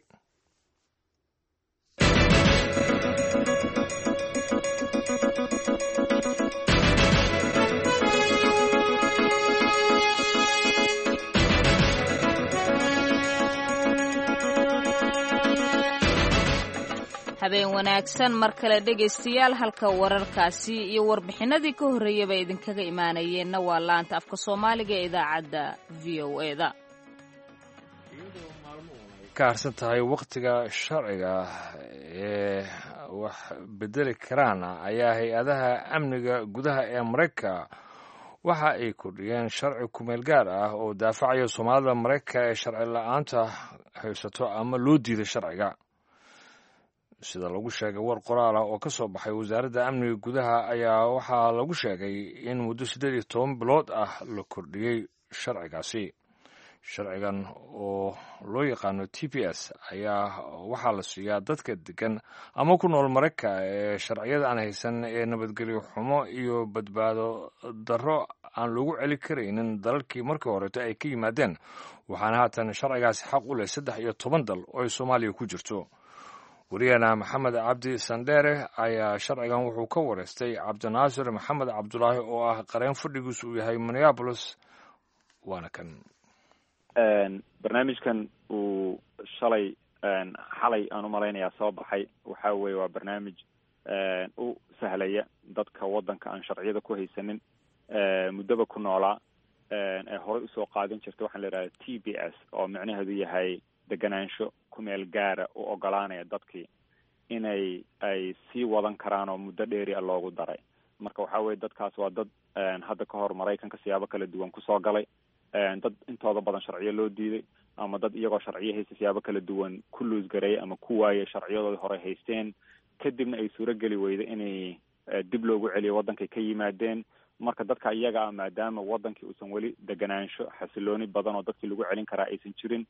Habeen wanaagsan mar kale dhegaystayaal, halka wararkaasi iyo warbixinadii ka horreeyaba idinkaga imaanayeenna waa laanta afka Soomaaliga ee idaacadda V O E da. Ka harsan tahay wakhtiga sharciga ee wax bedeli karaan ayaa hay-adaha amniga gudaha ee Maraykanka waxa ay kordhiyeen sharci kumeel gaar ah oo daafacaya Soomaalida Maraykanka ee sharci la-aanta haysato ama loo diiday sharciga. Sida lagu sheegay war qoraal ah oo ka soo baxay wasaaradda amniga gudaha ayaa waxaa lagu sheegay in muddo siddeed iyo toban bilood ah la kordhiyey sharcigaasi. Sharcigan oo loo yaqaano T P S ayaa waxaa la siiyaa dadka degan ama ku nool Maraykanka ee sharciyada aan haysan ee nabadgelyo xumo iyo badbaado darro aan loogu celi karaynin dalalkii markii horeeto ay ka yimaadeen, waxaana haatan sharcigaasi xaq u leh saddex iyo toban dal oo ay Soomaaliya ku jirto. Wariyahena Maxamed Cabdi Sandheere ayaa sharcigan wuxuu ka wareystay Cabdinaasir Maxamed Cabdulaahi oo ah qareen fadhigiisu uu yahay Minneapolis, waana kan. Barnaamijkan uu shalay xalay aan umalaynayaa soo baxay waxa weeye waa barnaamij u sahlaya dadka waddanka aan sharciyada ku haysanin muddaba ku noolaa ee horey usoo qaadan jirta waxaan la yidhahda T B S oo micnaheedu yahay deganaansho kumeel gaara u ogolaanaya dadkii inay ay sii wadan karaan oo muddo dheeri a loogu daray. Marka waxa weye dadkaas waa dad hadda ka hor Maraykanka siyaabo kala duwan kusoo galay, dad intooda badan sharciyo loo diiday ama dad iyagoo sharciyo haysta siyaabo kala duwan ku luusgareeyay ama ku waayay sharciyadoodii hore haysteen, kadibna ay suuro geli weyday inay dib loogu celiyo waddankay ka yimaadeen. Marka dadka iyaga ah, maadaama waddankii uusan weli deganaansho xasilooni badan oo dadkii lagu celin karaa aysan jirin,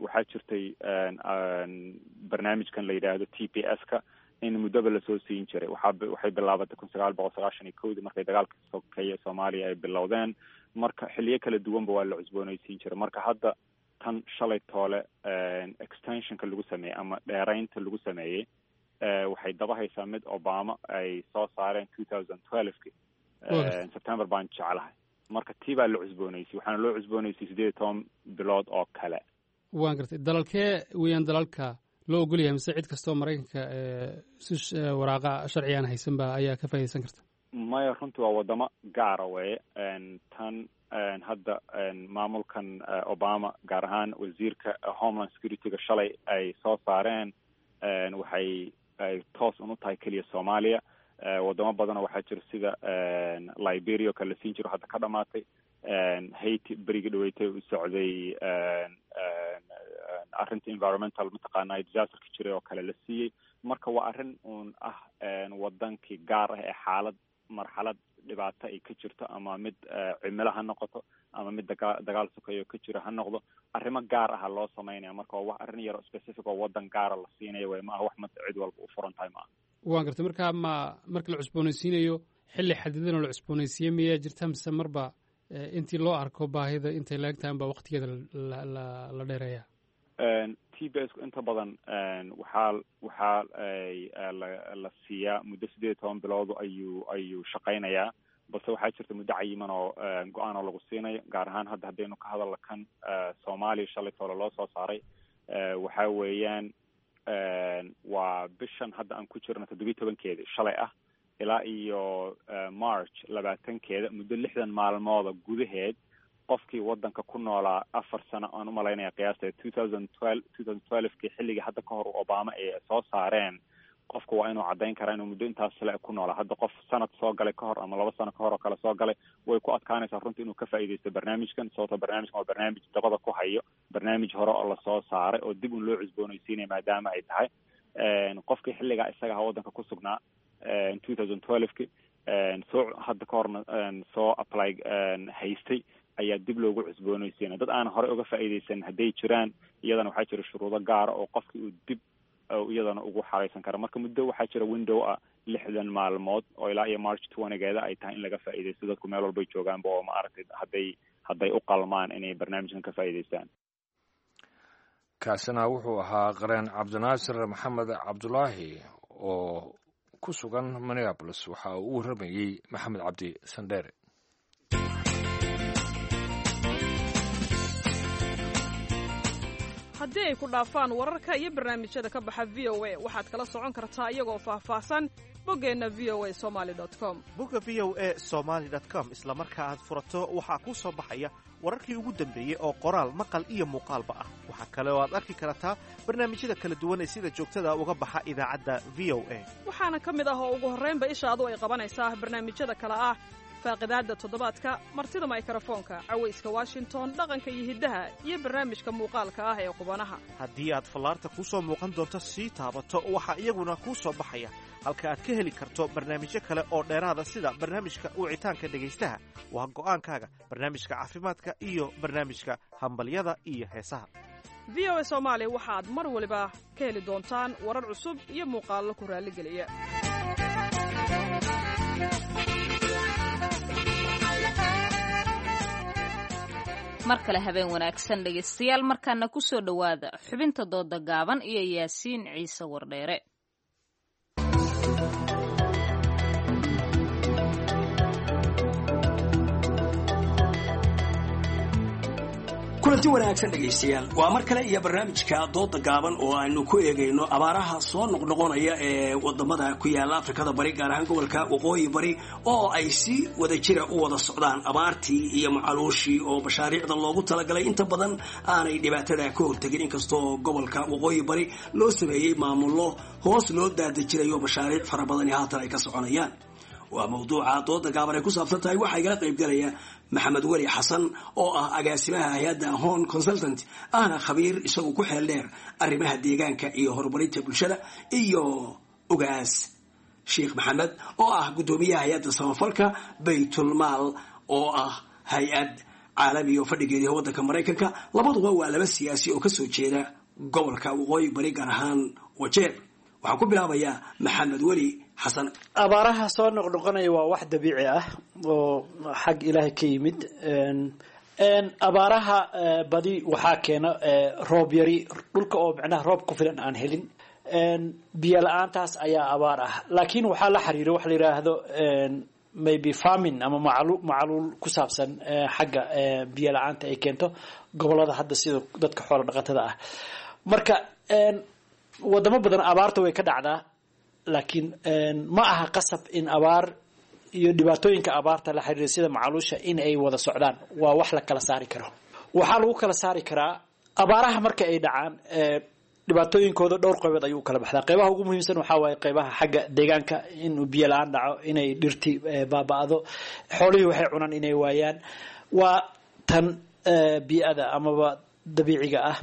waxaa jirtay barnaamijkan la yidhaahdo T P S ka in muddoba lasoo siin jiray. Waxaa waxay bilaabatay kun sagaal boqol sagaashan iyo kowdii markay dagaalka sokeeye Soomaaliya ay bilowdeen. Marka xilliyo kala duwanba waa la cusboonaysiin jiray. Marka hadda tan shalay toole extensionka lagu sameeyey ama dheeraynta lagu sameeyey waxay daba haysaa mid Obama ay soo saareen two thousand twelveki September baan jeclahay. Marka tii baa la cusboonaysay, waxaana loo cusboonaysay siddeed iyo toban bilood oo kale. Waan gartay. Dalalkee weeyaan dalalka loo ogol yahay, mise cid kastoo Maraykanka si waraaqa sharci aan haysanba ayaa ka faa'idaysan karta? Maya, runtii waa wadamo gaara weye. Tan hadda maamulkan Obama, gaar ahaan wasiirka Homeland Security-ga shalay ay soo saareen, waxay ay toos un u tahay keliya Soomaaliya. Wadamo badanoo waxaa jira sida Liberia oo kale la siin jiro, hadda ka dhamaatay. Haiti berigii dhaweytay u socday arrinta environmental mataqaana disasterka jiray oo kale la siiyey. Marka waa arrin uun ah wadankii gaar ah ee xaalad marxalad dhibaato ay ka jirto, ama mid cimilo ha noqoto ama mid dagaa dagaal sokeeyo ka jiro ha noqdo, arrimo gaar aha loo samaynaya. Marka waa wax arrin yaro specific oo waddan gaara la siinayo wey, ma aha wax ma cid walba u furan tahay ma aha. Waan gartay. Marka ma marka la cusboonaysiinayo xilli xadidan oo la cusboonaysiiye miyaa jirta, mise marba intii loo arko baahida intay la eg tahay baa waqtigeeda la la la dheereeya? T B S ku inta badan waxaa waxaa la la siiyaa muddo siddeed iyo toban bilood ayuu ayuu shaqaynayaa, balse waxaa jirta muddo cayiman oo go-aan oo lagu siinayo. Gaar ahaan hadda haddaynu ka hadalno kan Soomaaliya shalay toole loo soo saaray, waxa weeyaan waa bishan hadda aan ku jirno toddobiyi tobankeeda shalay ah ilaa iyo March labaatankeeda, muddo lixdan maalmooda gudaheed qofkii waddanka ku noolaa afar sano aan umalaynaya qiyaasta two thousand twelve two thousand twelvekii xilligii hadda ka hor Obama ay soo saareen, qofka waa inuu caddayn karaa inuu muddo intaas le ku noolaa. Hadda qof sanad soo galay ka hor ama laba sano ka hor oo kale soo galay, way ku adkaanaysaa runtii inuu ka faa'iidaysto barnaamijkan, sababtoo barnaamijkan waa barnaamij dabada ku hayo barnaamij hore oo lasoo saaray oo dib un loo cusboonaysiinaya. Maadaama ay tahay qofkii xilligaa isaga aha waddanka ku sugnaa two thousand twelveki soo hadda ka horna soo apply haystay ayaa dib loogu cusboonaysiinaya. Dad aan horey uga faa'iidaysan hadday jiraan, iyadana waxaa jira shuruudo gaara oo qofkii uu dib iyadana ugu xaraysan kara. Marka muddo waxaa jira window ah lixdan maalmood oo ilaa iyo March twentygeeda ay tahay in laga faa'iidaysto, dadku meel walbay joogaanba oo maaragtay hadday hadday u qalmaan inay barnaamijkan ka faa'iidaystaan. Kaasina wuxuu ahaa qareen Cabdinaasir Maxamed Cabdulaahi oo ku sugan Minneapolis. Waxa uu u warramayey Maxamed Cabdi Sandheere. Haddii ay ku dhaafaan wararka iyo barnaamijyada ka baxa V O A, waxaad kala socon kartaa iyagoo faahfaahsan boggeenna V O A somaly com. Bogga V O A somaly com isla marka aad furato waxaa kuu soo baxaya wararkii ugu dambeeyey oo qoraal, maqal iyo muuqaalba ah. Waxaa kale oo aad arki kartaa barnaamijyada kala duwan ee sida joogtada uga baxa idaacadda V O A. Waxaana ka mid ah oo ugu horraynba ishaadu ay qabanaysaa barnaamijyada kale ah faaqidaadda toddobaadka, martida maykarafoonka, cawayska Washington, dhaqanka iyo hiddaha, iyo barnaamijka muuqaalka ah ee qubanaha. Haddii aad fallaarta kuu soo muuqan doonto sii taabato, waxaa iyaguna kuu soo baxaya halka aad ka heli karto barnaamijyo kale oo dheeraada, sida barnaamijka wicitaanka dhegaystaha, waa go'aankaaga, barnaamijka caafimaadka iyo barnaamijka hambalyada iyo heesaha. V O A Soomaali waxaad mar waliba ka heli doontaan warar cusub iyo muuqaallo ku raalligeliya. Mar kale habeen wanaagsan dhegaystayaal, markaana ku soo dhowaada xubinta dooda gaaban iyo Yaasiin Ciise Wardheere. Kulanti wanaagsan dhegaystayaal, waa mar kale iyo barnaamijka dooda gaaban oo aynu ku eegayno abaaraha soo noqnoqonaya ee wadamada ku yaala Afrikada Bari, gaar ahaan gobolka Waqooyi Bari, oo ay si wada jira u wada socdaan abaartii iyo macaluushii oo mashaariicda loogu talagalay inta badan aanay dhibaatada ka hortegin, inkastoo gobolka Waqooyi Bari loo sameeyey maamullo hoos loo daadejirayo mashaariic fara badani haatan ay ka soconayaan. Waa mawduuca dooda gaaban ay ku saabsan tahay. Waxaa igala qaybgalaya Maxamed Weli Xasan oo ah agaasimaha hay-adda Horn Consultant, ahna khabiir isagu ku xeel dheer arrimaha deegaanka iyo horumarinta bulshada, iyo Ugaas Sheekh Maxamed oo ah guddoomiyaha hay-adda samafalka Baytulmaal oo ah hay-ad caalami oo fadhigeediiha waddanka Maraykanka. Labaduba waa laba siyaasi oo kasoo jeeda gobolka Waqooyi Bari, gaar ahaan Wajeer. Waxaan ku bilaabayaa Maxamed Weli Xasan. Abaaraha soo noqnoqonaya waa wax dabiici ah oo xag Ilaahay ka yimid. Abaaraha badi waxaa keena roob yari, dhulka oo micnaha roob ku filan aan helin, biyo la-aantaas ayaa abaar ah. Laakiin waxaa la xiriiro waxa la yidhaahdo maybe famine ama macalu macaluul ku saabsan xagga biyo la-aanta ay keento gobolada hadda sida dadka xoola dhaqatada ah. Marka wadamo badan abaarta way ka dhacdaa, laakiin ma aha qasab in abaar iyo dhibaatooyinka abaarta la xiriira sida macaluusha in ay wada socdaan. Waa wax la kala saari karo. Waxaa lagu kala saari karaa abaaraha marka ay dhacaan dhibaatooyinkooda dhowr qaybood ayuu u kala baxdaa. Qaybaha ugu muhiimsan waxaa waaye qaybaha xagga deegaanka, inuu biyo la-aan dhaco, inay dhirti baaba'do, xoolihii waxay cunaan inay waayaan. Waa tan bii'ada amaba dabiiciga ah.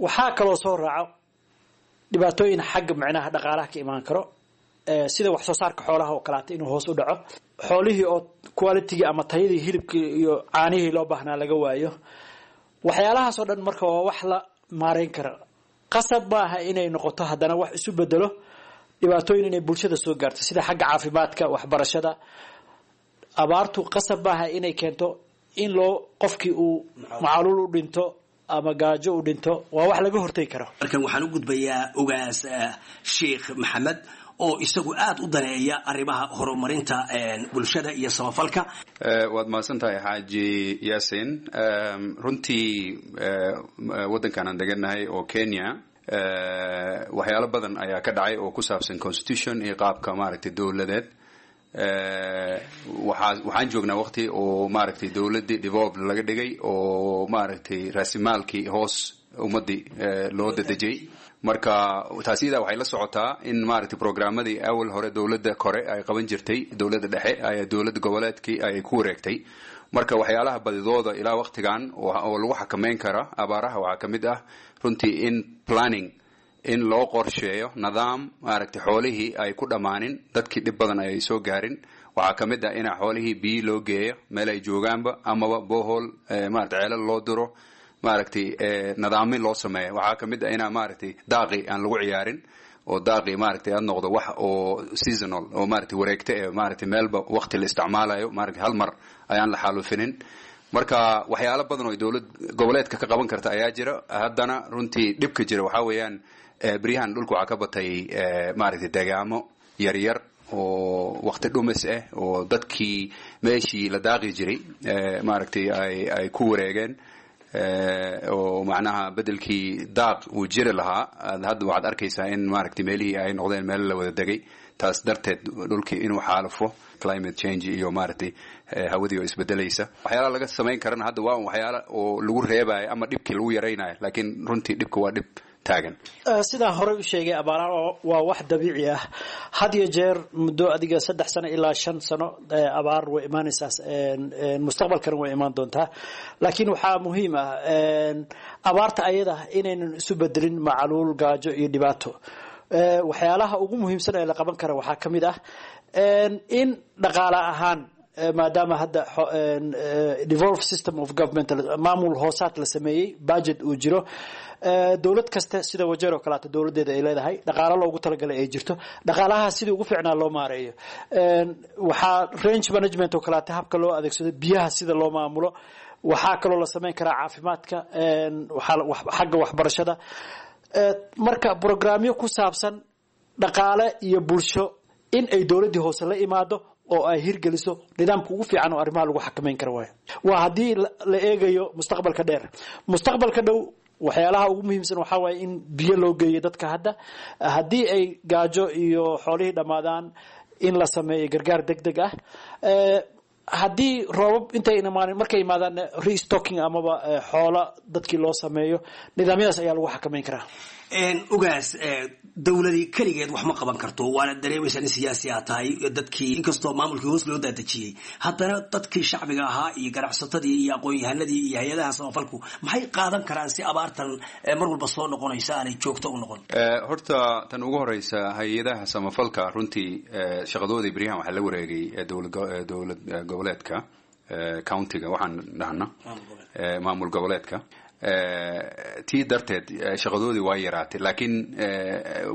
Waxaa kaloo soo raaco dhibaatooyin xagga micnaha dhaqaalaha ka imaan karo, sida wax soo saarka xoolaha oo kaleata inuu hoos u dhaco, xoolihii oo qualitygii ama tayadii hilibkii iyo caanihii loo baahnaa laga waayo. Waxyaalahaas oo dhan marka waa wax la maareyn kara. Qasab maaha inay noqoto haddana wax isu bedelo dhibaatooyin inay bulshada soo gaarto, sida xagga caafimaadka, waxbarashada. Abaartu qasab maaha inay keento in loo qofkii uu macaluul u dhinto ama gaajo u dhinto. Waa wax laga hortegi karo. Markan waxaan u gudbayaa Ogaas Sheekh Maxamed oo isagu aada u daneeya arrimaha horumarinta bulshada iyo samafalka. Waad mahadsan tahay, Xaaji Yaasin. Runtii waddankan aan degannahay oo Kenya waxyaalo badan ayaa ka dhacay oo ku saabsan constitution iyo qaabka maaragtay dowladeed. Waxaa waxaan joognaa waqti oo maaragtay dowladdii devolved laga dhigay oo maaragtay raasimaalkii hoos ummadii loo dadejiyey. Marka taas iyadaa waxay la socotaa in maaragtay programmadii awal hore dowladda kore ay qaban jirtay, dowladda dhexe ay dowladda goboleedkii ay ku wareegtay. Marka waxyaalaha badidooda ilaa waqtigan oo lagu xakameyn kara abaaraha waxaa ka mid ah runtii in planning in loo qorsheeyo nidaam maaragtay xoolihii ay ku dhammaanin, dadkii dhib badan ay soo gaarin. Waxaa ka mid ah in xoolihii biyi loo geeyo meel ay joogaanba, amaba bohol maaragtay ceelal loo diro, maaragtay nidaamin loo sameeyo. Waxaa ka mid ah inaa maaragtay daaqi aan lagu ciyaarin oo daaqi maaragtay aad noqdo wax oo seasonal oo maaragtay wareegta ee maaragtay meelba waqti la isticmaalayo, maaragtay hal mar ayaan la xaalufinin. Marka waxyaalo badan oo dowlad goboleedka ka qaban karta ayaa jira. Haddana runtii dhibka jira waxaa weeyaan beryahan dhulka waxaa ka batay maaragtay deegaamo yaryar oo waqti dhumis ah oo dadkii meeshii la daaqi jiray maaragtay ay ay ku wareegeen, oo macnaha bedelkii daaq uu jiri lahaa hadda waxaad arkaysaa in maaragtay meelihii ay noqdeen meel la wada degay. Taas darteed dhulkii inuu xaalufo, climate change iyo maaragtay hawadii oo isbedelaysa. Waxyaalaha laga samayn karana hadda waa un waxyaala oo lagu reebayo ama dhibkii lagu yaraynayo, laakiin runtii dhibka waa dhib taagan. Sidaan horey u sheegay, abaaraha waa wax dabiici ah. Had iyo jeer muddo adiga saddex sano ilaa shan sano abaar way imaanaysaa, mustaqbalkana way imaan doontaa. Laakiin waxaa muhiim ah abaarta ayada inaynan isu bedelin macaluul, gaajo iyo dhibaato. Waxyaalaha ugu muhiimsan ee la qaban kara waxaa ka mid ah in dhaqaale ahaan, maadaama hadda devolved system of government, maamul hoosaad la sameeyey, budget uu jiro, dowlad kasta sida Wajeer oo kaleeto dowladeeda ay leedahay dhaqaalo loogu talagalay ay jirto, dhaqaalaha sidii ugu fiicnaa loo maareeyo. Waxaa range management oo kaleeto habka loo adeegsado biyaha sida loo maamulo. Waxaa kaloo la sameyn karaa caafimaadka, xagga waxbarashada. Marka programyo ku saabsan dhaqaale iyo bulsho in ay dowladdii hoose la imaado oo ay hirgeliso nidaamka ugu fiican oo arrimaha lagu xakameyn karo waayo. Waa haddii la eegayo mustaqbalka dheer. Mustaqbalka dhow waxyaalaha ugu muhiimsan waxaa waaye in biyo loo geeyo dadka hadda, haddii ay gaajo iyo xoolihii dhammaadaan in la sameeyo gargaar deg deg ah. Haddii roobab intay imaan markay yimaadaan, restocking amaba xoola dadkii loo sameeyo. Nidaamyadaas ayaa lagu xakameyn karaa. Ogaas, dowladii keligeed wax ma qaban karto, waana dareemaysaa in siyaasi aad tahay. Dadkii inkastoo maamulkii hoos loo daadejiyey, haddana dadkii shacbiga ahaa iyo ganacsatadii iyo aqoon-yahanadii iyo hay-adaha samafalku maxay qaadan karaan si abaartan mar walba soo noqonaysa aanay joogto u noqon? Horta tan ugu horeysa, hay-adaha samafalka runtii shaqadoodii beryahan waxaa la wareegay dowlad goboleedka, countyga waxaan dhahna maamul goboleedka. Tii darteed shaqadoodii waa yaraatay, laakiin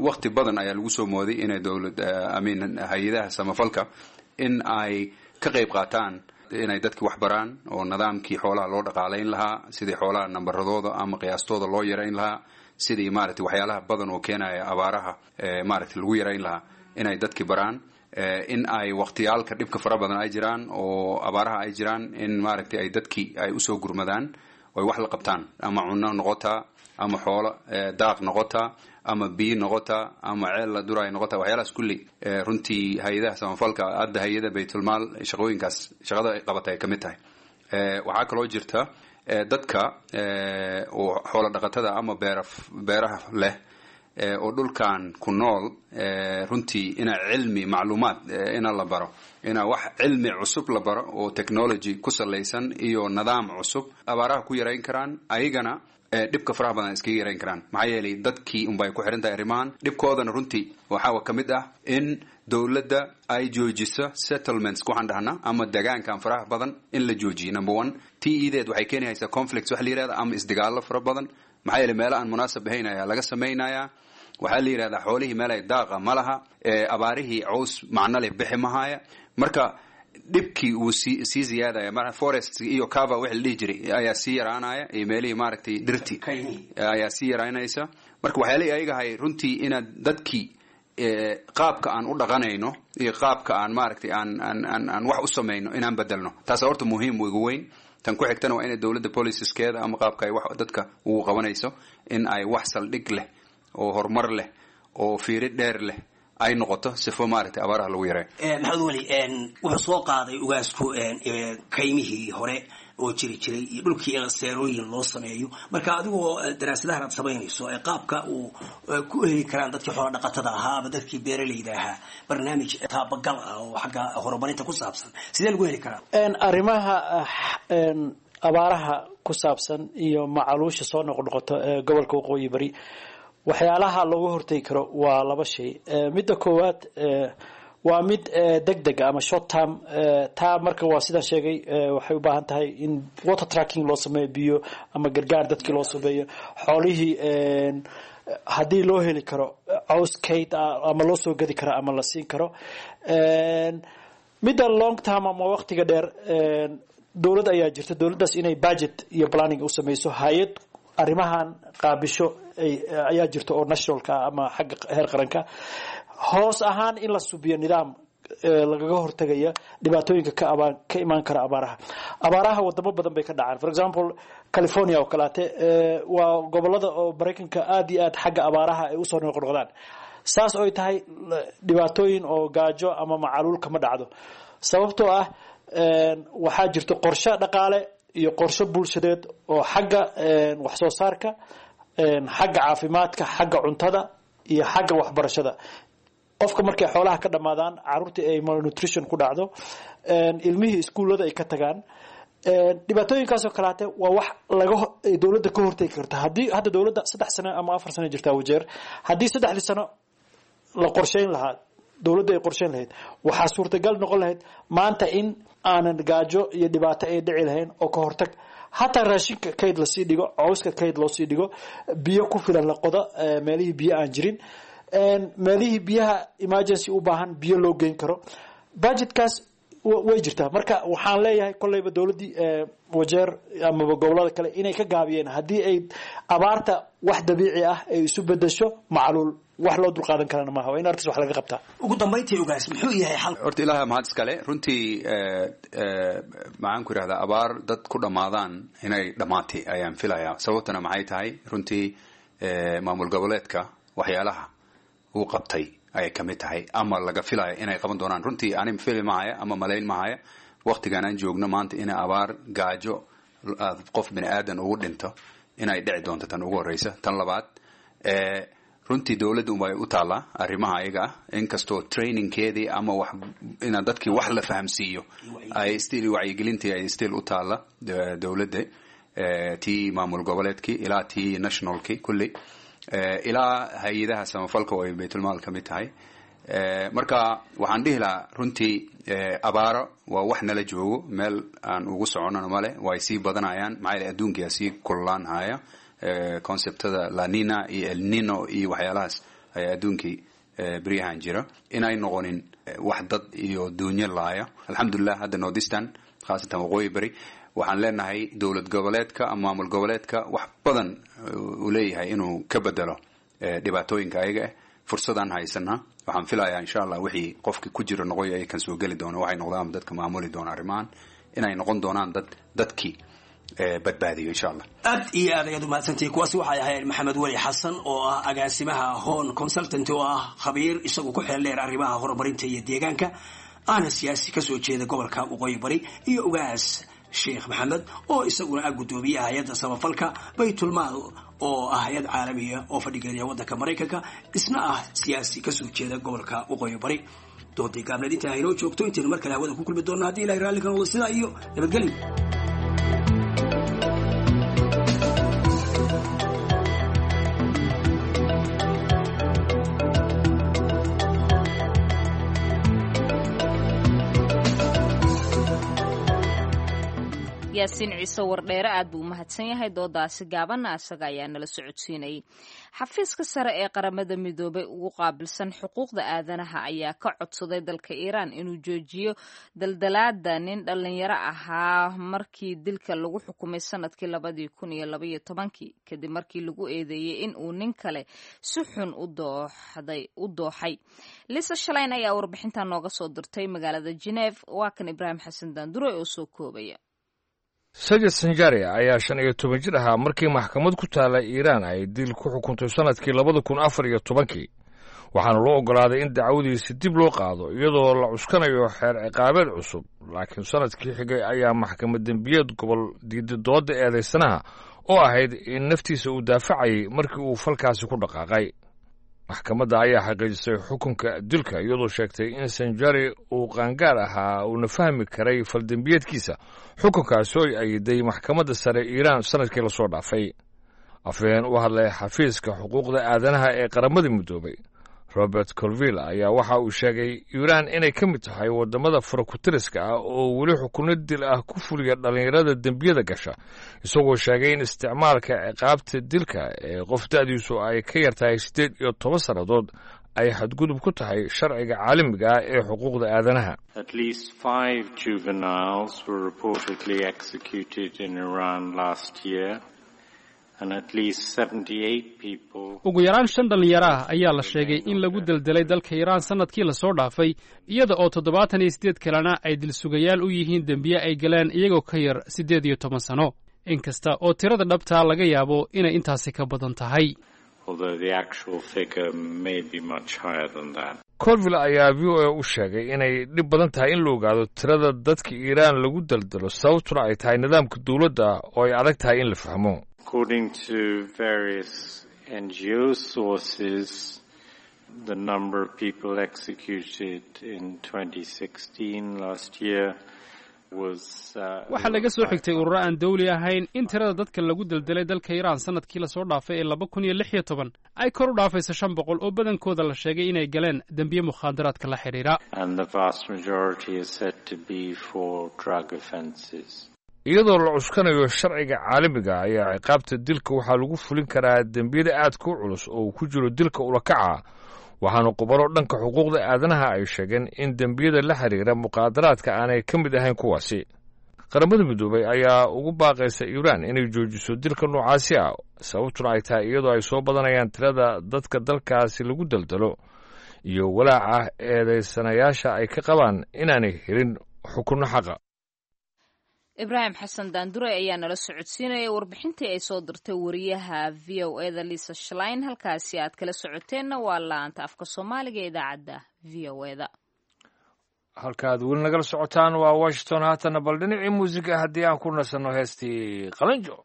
wakti badan ayaa lagu soo mooday inay dowlad amin hay-adaha samafalka in ay ka qayb qaataan inay dadki wax baraan oo nidaamkii xoolaha loo dhaqaalayn lahaa, sidii xoolaha nambaradooda ama qiyaastooda loo yarayn lahaa, sidii maaragtay waxyaalaha badan oo keenaya abaaraha maaragtay lagu yarayn lahaa inay dadki baraan, in ay waqtiyaalka dhibka fara badan ay jiraan oo abaaraha ay jiraan in maaragtay ay dadki ay usoo gurmadaan oy wax la qabtaan, ama cunno noqotaa, ama xoolo daaq noqotaa, ama biyo noqotaa, ama ceel la duraay noqotaa. Waxyaalahaas kulli runtii hay-adaha samafalka hadda hay-ada baytulmaal shaqooyinkaas shaqada ay qabatay ay ka mid tahay. Waxaa kaloo jirta dadka oo xoolo dhaqatada ama beera beeraha leh oo dhulkan ku nool runtii ina cilmi macluumaad ina la baro, ina wax cilmi cusub la baro oo technology ku salaysan iyo nidaam cusub abaaraha ku yarayn karaan, ayagana dhibka faraha badan iskaga yarayn karaan. Maxaa yeelay dadkii unbay ku xiran tahay arrimahan dhibkoodana. Runtii waxaa ka mid ah in dowladda ay joojiso settlements waxaan dhahnaa ama degaankan faraha badan in la joojiyo, number one. T edeed waxay keenaysaa conflicts wax la yihahda ama isdagaallo fara badan, maxaa yeelay meelo aan munaasab ahayn ayaa laga samaynayaa. Waxaa la yidhahdaa xoolihii meel ay daaqa ma laha, abaarihii caws macno leh bixi mahaya, marka dhibkii wuu sii sii ziyaadaya. Marka forest iyo cover wixii la dhihi jiray ayaa sii yaraanaya iyo meelihii maaragtay dhirti ayaa sii yaraanaysa. Marka waxyaalihii ayaga ahay runtii inaad dadkii qaabka aan u dhaqanayno iyo qaabka aan maaragtay aan aan aan aan wax u samayno inaan bedelno, taas horta muhiim ugu weyn. Tan ku xigtana waa inay dowladda policieskeeda ama qaabka ay wax dadka ugu qabanayso in ay wax saldhig leh oo horumar leh oo fiiri dheer leh ay noqoto, sifo maaragtay abaaraha lagu yareeyo. Maxamed Weli, wuxuu soo qaaday ugaasku kaymihii hore oo jiri jiray iyo dhulkii seerooyin loo sameeyo. Marka adigoo daraasadahan aad samaynayso ee qaabka uu ku heli karaan dadkii xoola dhaqatada ahaa ama dadkii beeralayda ahaa barnaamij taabagal ah oo xagga horumarinta ku saabsan, sidee lagu heli karaa? Arrimaha abaaraha ku saabsan iyo macaluusha soo noqnoqota ee gobolka Waqooyi Bari, waxyaalaha looga hortegi karo waa laba shay. Midda koowaad waa mid deg deg ama short term. Taa marka waa sidaan sheegay, waxay u baahan tahay in water tracking loo sameeyo, biyo ama gargaar dadkii loo sameeyo, xoolihii haddii loo heli karo caws kayd ah ama loo soo gadi karo ama la siin karo. Midda long term ama waqtiga dheer, dowlad ayaa jirta, dowladdaas inay budget iyo planning u sameyso, hay-ad arrimahan qaabisho ayaa jirta oo nationalka ama xagga heer qaranka. Hoos ahaan in la subiyo nidaam lagaga hortagaya dhibaatooyinka ka abaa ka imaan kara abaaraha. Abaaraha wadamo badan bay ka dhacaan. For example, California oo kaleete waa gobolada oo Maraykanka aada iyo aad xagga abaaraha ay usoo noqnoqdaan. Saas oy tahay, dhibaatooyin oo gaajo ama macaluul kama dhacdo, sababtoo ah waxaa jirto qorshe dhaqaale iyo qorshe bulshadeed oo xagga wax soo saarka, xagga caafimaadka, xagga cuntada iyo xagga waxbarashada. Qofka markay xoolaha ka dhamaadaan, caruurtii ay malnutrition ku dhacdo, ilmihii iskuullada ay ka tagaan, dhibaatooyinkaasoo kalaate waa wax laga dowladda ka hortegi karta. Haddii hadda dowladda saddex sano ama afar sano jirtaa Wajeer, haddii saddexdii sano la qorsheyn lahaa, dowladda ay qorsheyn lahayd, waxaa suurtagal noqon lahayd maanta in aanan gaajo iyo dhibaato ay dhici lahayn, oo ka hortag hataa raashinka kayd lasii dhigo, cawska kayd loosii dhigo, biyo ku filan la qodo meelihii biyo aan jirin, meelihii biyaha emergency u baahan biyo loo geyn karo. Budgetkaas way jirtaa. Marka waxaan leeyahay kolleyba dowladdii Wajeer amaba gobolada kale inay ka gaabiyeen haddii ay abaarta wax dabiici ah ay isu bedesho macluul, wax loo dulqaadan karana maaha, waa in artis wax laga qabtaa. Ugu dambayntii, ugaas, muxuu yahay xal? Horta ilaaha mahad iskale. Runtii maxaan ku yidhahdaa, abaar dad ku dhammaadaan inay dhammaatay ayaan filayaa. Sababtana maxay tahay? Runtii maamul goboleedka waxyaalaha uu qabtay ayay kamid tahay ama laga filaya inay qaban doonaan. Runtii ani fili mahaya ama malayn mahaya waqtigan aan joogno maanta ina abaar gaajo qof bini aadan ugu dhinto inay dhici doonto, tan ugu horeysa. Tan labaad, Runtii dowladda unbay u taallaa arrimaha ayaga ah, inkastoo trainingkeedii ama wax inaan dadkii wax la fahamsiiyo ay still wacyigelintii ay still u taalla dowladda, tii maamul goboleedkii ilaa tii nationalkii kulli ilaa hay-adaha samafalka oo ay baytulmaal ka mid tahay. Marka waxaan dhihi lahaa runtii abaaro waa wax nala joogo, meel aan ugu soconona male, way sii badanayaan maxaa yeele adduunkiyaa sii kululaan haya. Conceptada lanina iyo elnino iyo waxyaalahaas ayaa adduunkii beryahan jira, inay noqonin wax dad iyo duunyo laaya. Alxamdulilah hadda northeastern khaasatan waqooyi beri waxaan leenahay dowlad goboleedka ama maamul goboleedka wax badan uu leeyahay inuu ka bedelo dhibaatooyinka ayaga ah. Fursadaan haysanaa, waxaan filayaa insha allah wixii qofki ku jira noqoy ay kan soo geli doono waxay noqdaan dadka maamuli doona arrimahan inay noqon doonaan dad dadkii badbaadiyo insha allah. Aad iyo aad ayaad umahadsantihi. Kuwaasi waxay ahayd Maxamed Weli Xasan oo ah agaasimaha Horn Consultant oo ah khabiir isagu ku xeel dheer arrimaha horumarinta iyo deegaanka, ahna siyaasi kasoo jeeda gobolka waqooyi bari, iyo Ugaas Sheekh Maxamed oo isaguna ah guddoomiyaha hay-adda samafalka Baytulmaal oo ah hay-ad caalamiya oo fadhigeeya waddanka Maraykanka, isna ah siyaasi kasoo jeeda gobolka waqooyi bari. Doodii gaabneed intaa haynoo joogto, intaynu mar kale hawada ku kulmi doonno haddii Ilahay raalli ka noqdo, sidaa iyo nabadgelyo. Yaasiin Ciise Wardheere aad buu u mahadsan yahay. Doodaasi gaabanna asaga ayaa nala socodsiinayay. Xafiiska sare ee Qaramada Midoobay ugu qaabilsan xuquuqda aadanaha ayaa ka codsaday dalka Iiraan inuu joojiyo daldalaada nin dhallinyaro ahaa markii dilka lagu xukumay sanadkii labadii kun iyo labaiyo tobankii, kadib markii lagu eedeeyey in uu nin kale si xun u dooxay. Lisa Shaleyn ayaa warbixintan nooga soo dirtay magaalada Geneef. Waa kan Ibraahim Xasan Daandure oo soo koobaya. Sajid Sanjari ayaa shan iyo toban jir ahaa markii maxkamad ku taalla Iiraan ay dil ku xukuntay sannadkii labada kun afar iyo tobankii, waxaana loo oggolaaday in dacwadiisi dib loo qaado iyadoo la cuskanayo xeer ciqaabeed cusub. Laakiin sannadkii xigay ayaa maxkamad dembiyeed gobol diiday doodda eedaysanaha oo ahayd in naftiisa uu daafacayay markii uu falkaasi ku dhaqaaqay. Maxkamadda ayaa xaqiijisay xukunka dilka iyadoo sheegtay in Sanjari uu qaangaar ahaa uuna fahmi karay faldembiyeedkiisa, xukunkaasi oo ay ayiday maxkamadda sare Iiraan sannadkii lasoo dhaafay. Afhayeen u hadlay xafiiska xuquuqda aadanaha ee Qaramada Midoobay Robert Colville ayaa waxa uu sheegay Iiraan inay ka mid tahay waddamada farakutiriska ah oo weli xukunno dil ah ku fuliya dhallinyarada dembiyada gasha, isagoo sheegay in isticmaalka ciqaabta dilka ee qof da'diisu ay ka yar tahay siddeed iyo toban sannadood ay xadgudub ku tahay sharciga caalamiga ah ee xuquuqda aadanaha. At least five juveniles were reportedly executed in Iran last year. Ugu yaraan shan dhallinyaro ah ayaa la sheegay in lagu deldelay dalka Iiraan sannadkii lasoo dhaafay, iyada oo toddobaatan iyo siddeed kalena ay dilsugayaal u yihiin dembiye ay galeen iyagoo ka yar siddeed iyo toban sano, inkasta oo tirada dhabtaa laga yaabo inay intaasi ka badan tahay. Colville ayaa V O A u sheegay inay dhib badan tahay in la ogaado tirada dadka Iiraan lagu deldelo, sababtuna ay tahay nidaamka dowladda oo ay adag tahay in la fahmo. According to various N G O sources, the number of people executed in twenty sixteen last year was Waxaa laga soo xigtay ururo aan dawli ahayn in tirada dadka lagu deldelay dalka Iiraan sanadkii lasoo dhaafay ee laba kun iyo lix iyo toban ay kor u dhaafayso shan boqol oo badankooda la sheegay inay galeen dembiye mukhaadaraadka la xidhiidha. And the vast majority is said to be for drug offences. Iyadoo la cuskanayo sharciga caalamiga ayaa ciqaabta dilka waxaa lagu fulin karaa dembiyada aadka u culus oo uu ku jiro dilka ulakaca, waxaana khubaro dhanka xuquuqda aadanaha ay sheegeen in dembiyada la xiriira muqaadaraadka aanay ka mid ahayn kuwaasi. Qaramada Midoobay ayaa ugu baaqaysa Iiraan inay joojiso dilka noocaasi ah, sababtuna ay tahay iyadoo ay soo badanayaan tirada dadka dalkaasi lagu daldalo iyo walaaca eedaysanayaasha ay ka qabaan inaanay helin xukunno xaqa. Ibraahim Xasan Daandure ayaa nala socodsiinaya warbixintii ay soo dirtay wariyaha V O e da Lisa Shlein. Halkaasi aad kala socoteenna waa laanta afka Soomaaliga ee idaacadda V O e da. Halkaaad weli nagala socotaan waa Washington. Haatana bal dhinacii muusiga haddii aan ku nasanno heestii Qalanjo.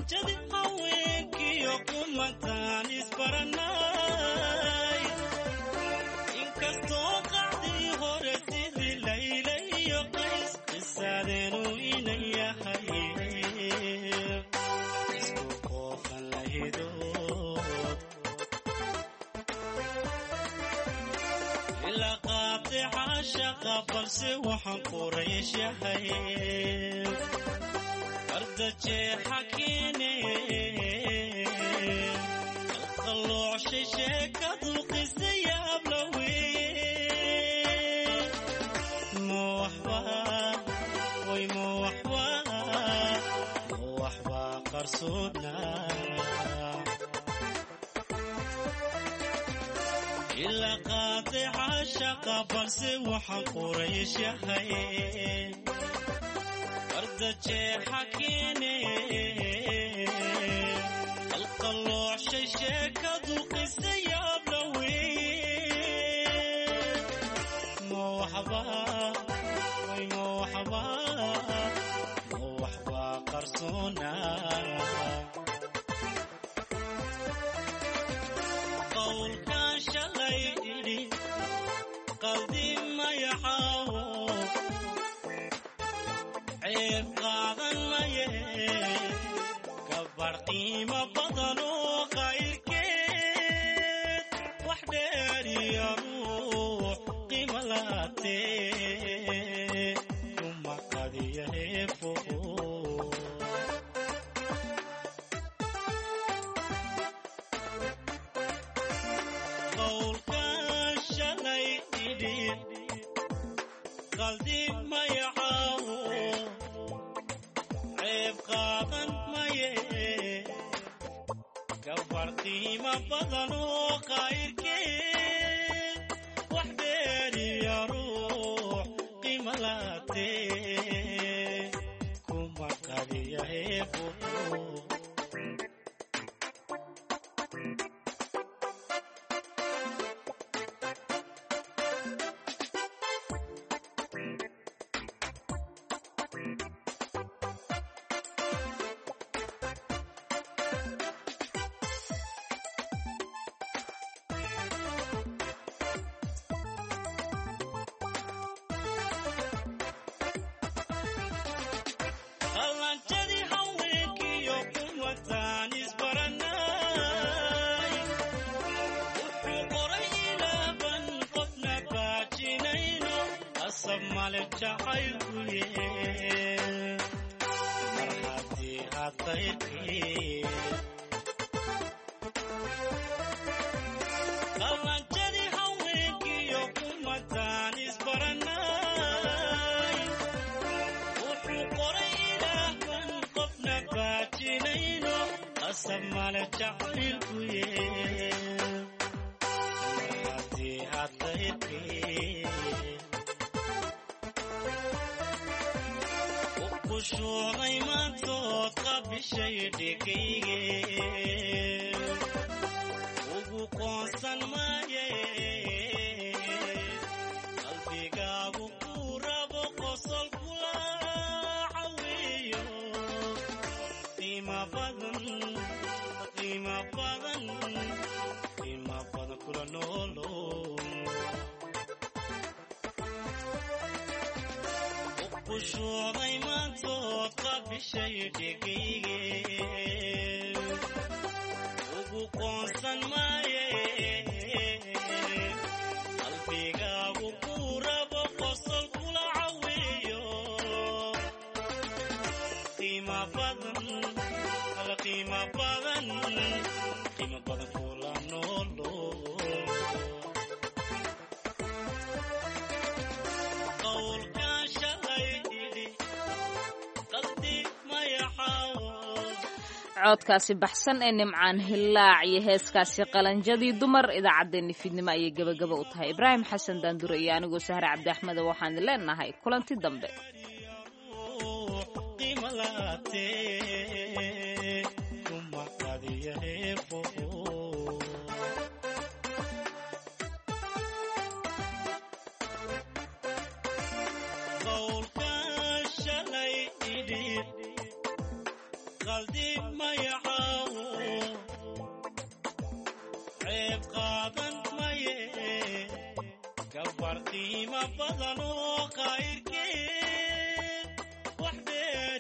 Qalanjadi haweenkiyo kumantaan isbaranay, inkastoo qacdii hore siri Layla iyo Qays qisaadeenu inan yahay isku qoofan lahidood ilaa qaatica shaqa, balse waxaan Quraysh yahay ardajeexa keene qalqaloocshay sheekadu qisa yaab la weye. Ma waxba way, ma waxba, ma waxba qarsoona ilaa qaatica shaqa, balse waxaan Quraysh yahay ardajeexa keene qalqaloocshay sheekadu qisa yaab la weye. Ma waxba way, ma waxba, ma waxba qarsoona qowlkan shalay idhi qaldi mayaxaawo ceeb qaadan maye, gabarh qiimo badan oo qayrkeed wax dheer iyo ruux qiimo laatee kuma qadiya heefo. Qowlkan shalay idhi qaldi mayaxaawo ceeb qaadan maye, gabarh qiimo badan oo qayrkeed wax dheer iyo ruux qiimo laatee kuma qadiya heefo. Qalanjadii haweenkiyo kumataan isbaranay, wuxuu qoray ilaaban qofna baajinayno qasab male jacaylku ye mar haddii aad qayrkii. Qalanjadii haweenkiyo kumataan isbaranay, wuxuu qoray ilaahban qofna baajinayno qasab male jacaylku ye mar haddii aad qayrkii u qushuucday maantood qabishay dhigayge ugu qoonsan maaye qalbigaagu kuu rabo qosol kula caweeyo qiimo badan, qiimo badan, qiimo badan kula noolo u qushuucday maantood qabishay dhigayge ugu qoonsan maaye qalbigaagu kuu rabo qosol kula caweeyo qiimo badan, ala qiimo badan, qiimo badan kula noolo qowlkan shalay idhi qaldi mayaxaawo. Codkaasi baxsan ee Nimcaan Hilaac iyo heeskaasi Qalanjadii Dumar idaacaddeenni fiidnimo ayay gebagaba u tahay. Ibraahim Xasan Daandure iyo anigoo Sahre Cabdi Axmed waxaan leenahay kulanti dambe. Qiimo laatee kuma qadiya heefo. Qowlkan shalay idhi qaldi maya. Qof qiimo badan oo qayrkeed wax dheer.